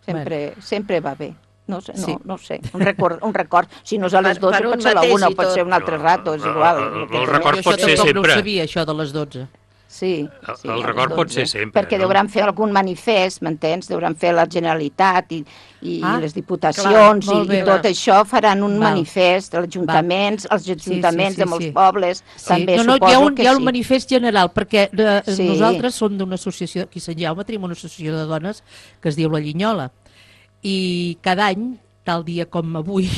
[SPEAKER 9] sempre, bueno. sempre va bé. No sé, no, sí. no sé, un record, un record. Si no és a les dotze, per, pot ser a la una, pot ser un altre rato, és igual.
[SPEAKER 14] El, el, el record pot ser sempre.
[SPEAKER 12] Jo no ho sabia, això de les dotze.
[SPEAKER 9] Sí,
[SPEAKER 14] sí, el record pot ser sempre.
[SPEAKER 9] Perquè
[SPEAKER 14] no?
[SPEAKER 9] deuran fer algun manifest, m'entens? Deuran fer la Generalitat i, i ah, les diputacions clar, i, bé, i tot clar. Això faran un Val. manifest, els ajuntaments, els ajuntaments sí, sí, sí, de molts sí. pobles, sí. també
[SPEAKER 12] no, no,
[SPEAKER 9] suposo
[SPEAKER 12] hi ha un,
[SPEAKER 9] que
[SPEAKER 12] hi ha
[SPEAKER 9] sí.
[SPEAKER 12] un manifest general, perquè de,
[SPEAKER 9] sí.
[SPEAKER 12] nosaltres som d'una associació, aquí a Sant Jaume tenim una associació de dones que es diu La Llinyola, i cada any, tal dia com avui,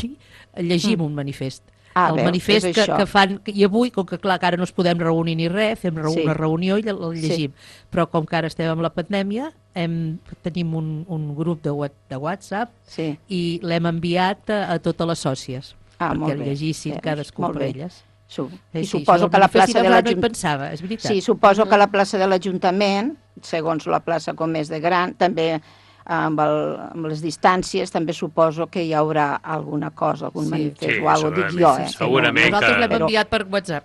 [SPEAKER 12] llegim mm. un manifest.
[SPEAKER 9] Ah,
[SPEAKER 12] el
[SPEAKER 9] veu,
[SPEAKER 12] manifest que, que fan, i avui, com que clar, que ara no es podem reunir ni res, fem una sí. reunió i el llegim, sí. però com que ara estem amb la pandèmia, hem, tenim un, un grup de, de WhatsApp
[SPEAKER 9] sí.
[SPEAKER 12] i l'hem enviat a, a totes les sòcies,
[SPEAKER 9] ah,
[SPEAKER 12] perquè el
[SPEAKER 9] bé.
[SPEAKER 12] llegissin
[SPEAKER 9] sí,
[SPEAKER 12] cadascú per elles.
[SPEAKER 9] Su
[SPEAKER 12] Sí,
[SPEAKER 9] I
[SPEAKER 12] sí,
[SPEAKER 9] suposo
[SPEAKER 12] això
[SPEAKER 9] que la
[SPEAKER 12] el Manifest
[SPEAKER 9] plaça de
[SPEAKER 12] Laboral no hi
[SPEAKER 9] l'Ajuntament...
[SPEAKER 12] pensava, és veritat.
[SPEAKER 9] Sí, suposo que la plaça de l'Ajuntament, segons la plaça com és de gran, també amb, el, amb les distàncies, també suposo que hi haurà alguna cosa, algun
[SPEAKER 14] Sí.
[SPEAKER 9] manifest
[SPEAKER 14] Sí,
[SPEAKER 9] o alguna cosa, dic jo, eh?
[SPEAKER 14] segurament
[SPEAKER 9] no,
[SPEAKER 12] Nosaltres l'hem
[SPEAKER 9] però-
[SPEAKER 12] enviat per WhatsApp.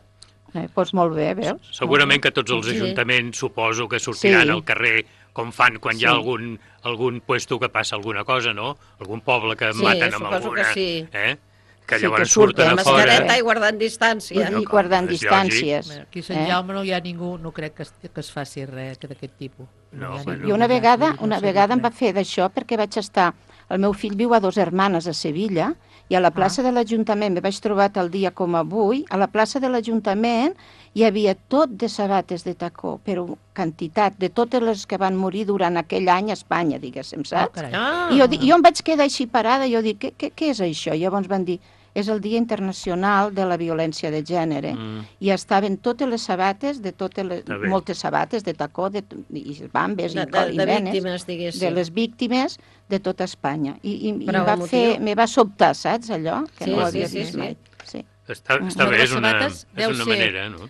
[SPEAKER 9] Eh, doncs molt bé, veus?
[SPEAKER 14] Segurament que tots els
[SPEAKER 9] Sí.
[SPEAKER 14] ajuntaments suposo que sortiran
[SPEAKER 9] Sí.
[SPEAKER 14] al carrer com fan quan hi ha
[SPEAKER 9] Sí.
[SPEAKER 14] algun, algun puesto que passa alguna cosa, no? Algun poble que
[SPEAKER 11] Sí,
[SPEAKER 14] maten amb
[SPEAKER 11] suposo
[SPEAKER 14] alguna...
[SPEAKER 11] que sí.
[SPEAKER 14] Eh? Que
[SPEAKER 9] Sí,
[SPEAKER 14] llavors
[SPEAKER 9] que surten
[SPEAKER 14] surten a
[SPEAKER 11] Amb
[SPEAKER 14] fora...
[SPEAKER 11] mascareta i guardant distància.
[SPEAKER 9] I guardant
[SPEAKER 14] és
[SPEAKER 9] distàncies.
[SPEAKER 14] lògic.
[SPEAKER 12] Aquí a Sant
[SPEAKER 9] eh?
[SPEAKER 12] Jaume no hi ha ningú, no crec que es, que es faci res d'aquest tipus.
[SPEAKER 14] No,
[SPEAKER 12] hi ha
[SPEAKER 14] bueno.
[SPEAKER 12] ningú
[SPEAKER 9] I una
[SPEAKER 12] allà,
[SPEAKER 9] vegada,
[SPEAKER 12] vull dir, no
[SPEAKER 9] una
[SPEAKER 12] sé
[SPEAKER 9] vegada em
[SPEAKER 12] res.
[SPEAKER 9] va fer d'això perquè vaig estar... El meu fill viu a Dos Hermanes, a Sevilla, i a la plaça de l'Ajuntament, me vaig trobar tal dia com avui, a la plaça de l'Ajuntament hi havia tot de sabates de tacó, però quantitat, de totes les que van morir durant aquell any a Espanya, diguéssim, saps?
[SPEAKER 12] carai.
[SPEAKER 11] Ah.
[SPEAKER 9] I jo, di- jo em vaig quedar així parada, i jo dic, què, què, què és això? I llavors van dir, és el Dia Internacional de la Violència de Gènere,
[SPEAKER 14] Mm.
[SPEAKER 9] i estaven totes les sabates, de totes les,
[SPEAKER 14] Està bé.
[SPEAKER 9] moltes sabates de tacó, de, i bambes,
[SPEAKER 11] De-
[SPEAKER 9] i,
[SPEAKER 11] de-
[SPEAKER 9] co- i
[SPEAKER 11] de
[SPEAKER 9] venes,
[SPEAKER 11] víctimes, diguéssim.
[SPEAKER 9] de les víctimes de tota Espanya. I, i, i
[SPEAKER 11] Prou
[SPEAKER 9] em va
[SPEAKER 11] emotiu.
[SPEAKER 9] fer, me va sobtar, saps, allò? Que
[SPEAKER 11] Sí,
[SPEAKER 9] no ho
[SPEAKER 11] sí,
[SPEAKER 9] havia
[SPEAKER 11] sí,
[SPEAKER 9] vist
[SPEAKER 11] sí.
[SPEAKER 9] mai. Sí.
[SPEAKER 14] Està,
[SPEAKER 9] Mm.
[SPEAKER 14] està
[SPEAKER 12] Això de
[SPEAKER 14] bé,
[SPEAKER 12] les
[SPEAKER 14] és una,
[SPEAKER 12] sabates
[SPEAKER 14] és
[SPEAKER 12] deu
[SPEAKER 14] una
[SPEAKER 12] ser-
[SPEAKER 14] manera, no?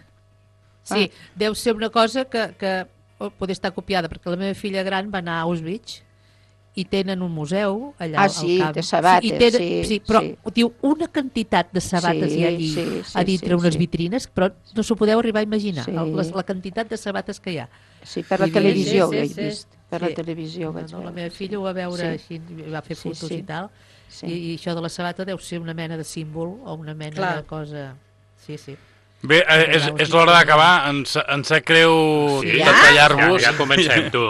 [SPEAKER 12] Sí, deu ser una cosa que, que oh, pot estar copiada, perquè la meva filla gran va anar a Auschwitz i tenen un museu allà
[SPEAKER 9] Ah,
[SPEAKER 12] al
[SPEAKER 9] sí,
[SPEAKER 12] camp.
[SPEAKER 9] de sabates,
[SPEAKER 12] i tenen,
[SPEAKER 9] sí,
[SPEAKER 12] sí, però
[SPEAKER 9] sí.
[SPEAKER 12] diu una quantitat de sabates
[SPEAKER 9] Sí,
[SPEAKER 12] hi ha allí
[SPEAKER 9] sí, sí,
[SPEAKER 12] a dintre
[SPEAKER 9] sí,
[SPEAKER 12] unes
[SPEAKER 9] sí.
[SPEAKER 12] vitrines, però no s'ho podeu arribar a imaginar,
[SPEAKER 9] Sí.
[SPEAKER 12] el, les, la quantitat de sabates que hi ha.
[SPEAKER 9] Sí, per la
[SPEAKER 12] Vull dir,
[SPEAKER 9] televisió
[SPEAKER 11] sí,
[SPEAKER 9] ho he
[SPEAKER 11] sí, sí.
[SPEAKER 9] vist. Per la televisió ho vaig
[SPEAKER 12] no, no, la
[SPEAKER 9] veure.
[SPEAKER 12] meva filla ho va veure
[SPEAKER 9] Sí.
[SPEAKER 12] així, va fer
[SPEAKER 9] Sí,
[SPEAKER 12] fotos
[SPEAKER 9] sí.
[SPEAKER 12] i tal,
[SPEAKER 9] Sí.
[SPEAKER 12] i, i això de la sabata deu ser una mena de símbol o una mena
[SPEAKER 11] Clar.
[SPEAKER 12] de cosa... Sí, sí.
[SPEAKER 13] Bé, eh, és, és l'hora d'acabar. Ens, ens sap greu
[SPEAKER 14] Sí,
[SPEAKER 13] de
[SPEAKER 14] ja?
[SPEAKER 13] tallar-vos.
[SPEAKER 14] Ja, ja comencem, tu.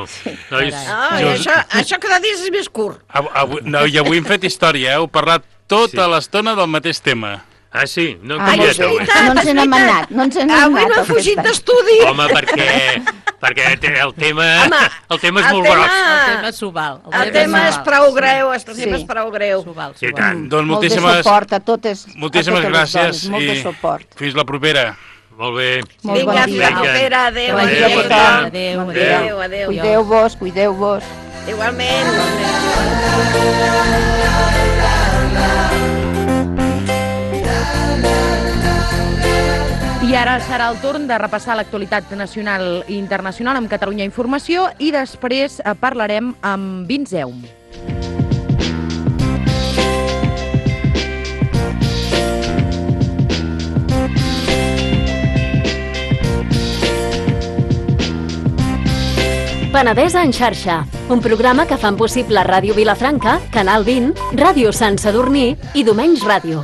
[SPEAKER 14] Nois,
[SPEAKER 11] Ah, i
[SPEAKER 13] jo-
[SPEAKER 11] això, això cada dia és més curt.
[SPEAKER 13] Avui, avui, no, I avui hem fet història, eh? Heu parlat tota
[SPEAKER 14] Sí.
[SPEAKER 13] l'estona del mateix tema.
[SPEAKER 14] Ah, sí? No,
[SPEAKER 9] Ah,
[SPEAKER 14] canviat
[SPEAKER 9] molt bé.
[SPEAKER 14] avui.
[SPEAKER 9] No ens n'hem anat, no ens n'hem anat.
[SPEAKER 11] Avui no he
[SPEAKER 9] aquest
[SPEAKER 11] fugit
[SPEAKER 9] any.
[SPEAKER 11] d'estudi.
[SPEAKER 14] Home, perquè, perquè té- el tema,
[SPEAKER 11] Home,
[SPEAKER 14] el tema és
[SPEAKER 11] el
[SPEAKER 14] molt
[SPEAKER 11] tema-
[SPEAKER 14] gros.
[SPEAKER 12] El tema s'ho val.
[SPEAKER 11] El tema és prou greu, el tema
[SPEAKER 9] Sí.
[SPEAKER 11] és prou greu.
[SPEAKER 12] S'ho val,
[SPEAKER 14] I
[SPEAKER 12] s'ho val.
[SPEAKER 14] tant.
[SPEAKER 13] Doncs
[SPEAKER 9] Molt de
[SPEAKER 13] moltíssimes,
[SPEAKER 9] suport a totes,
[SPEAKER 13] moltíssimes
[SPEAKER 9] a totes les
[SPEAKER 13] gràcies
[SPEAKER 9] dones, molt de
[SPEAKER 13] i
[SPEAKER 9] suport.
[SPEAKER 13] fins la propera.
[SPEAKER 14] Molt bé.
[SPEAKER 9] Molt
[SPEAKER 11] Vinga,
[SPEAKER 9] bon
[SPEAKER 11] fins
[SPEAKER 9] dia.
[SPEAKER 11] la propera. Adéu,
[SPEAKER 9] Bon dia a
[SPEAKER 11] adéu.
[SPEAKER 9] tothom.
[SPEAKER 12] Adéu,
[SPEAKER 9] Bon
[SPEAKER 12] adéu.
[SPEAKER 9] dia.
[SPEAKER 11] Adéu, adéu.
[SPEAKER 9] Cuideu-vos, cuideu-vos.
[SPEAKER 11] Igualment.
[SPEAKER 1] I ara serà el torn de repassar l'actualitat nacional i internacional amb Catalunya Informació i després eh, parlarem amb Vinzeum.
[SPEAKER 2] Penedesa en xarxa, un programa que fan possible Ràdio Vilafranca, Canal vint, Ràdio Sant Sadurní i Domenys Ràdio.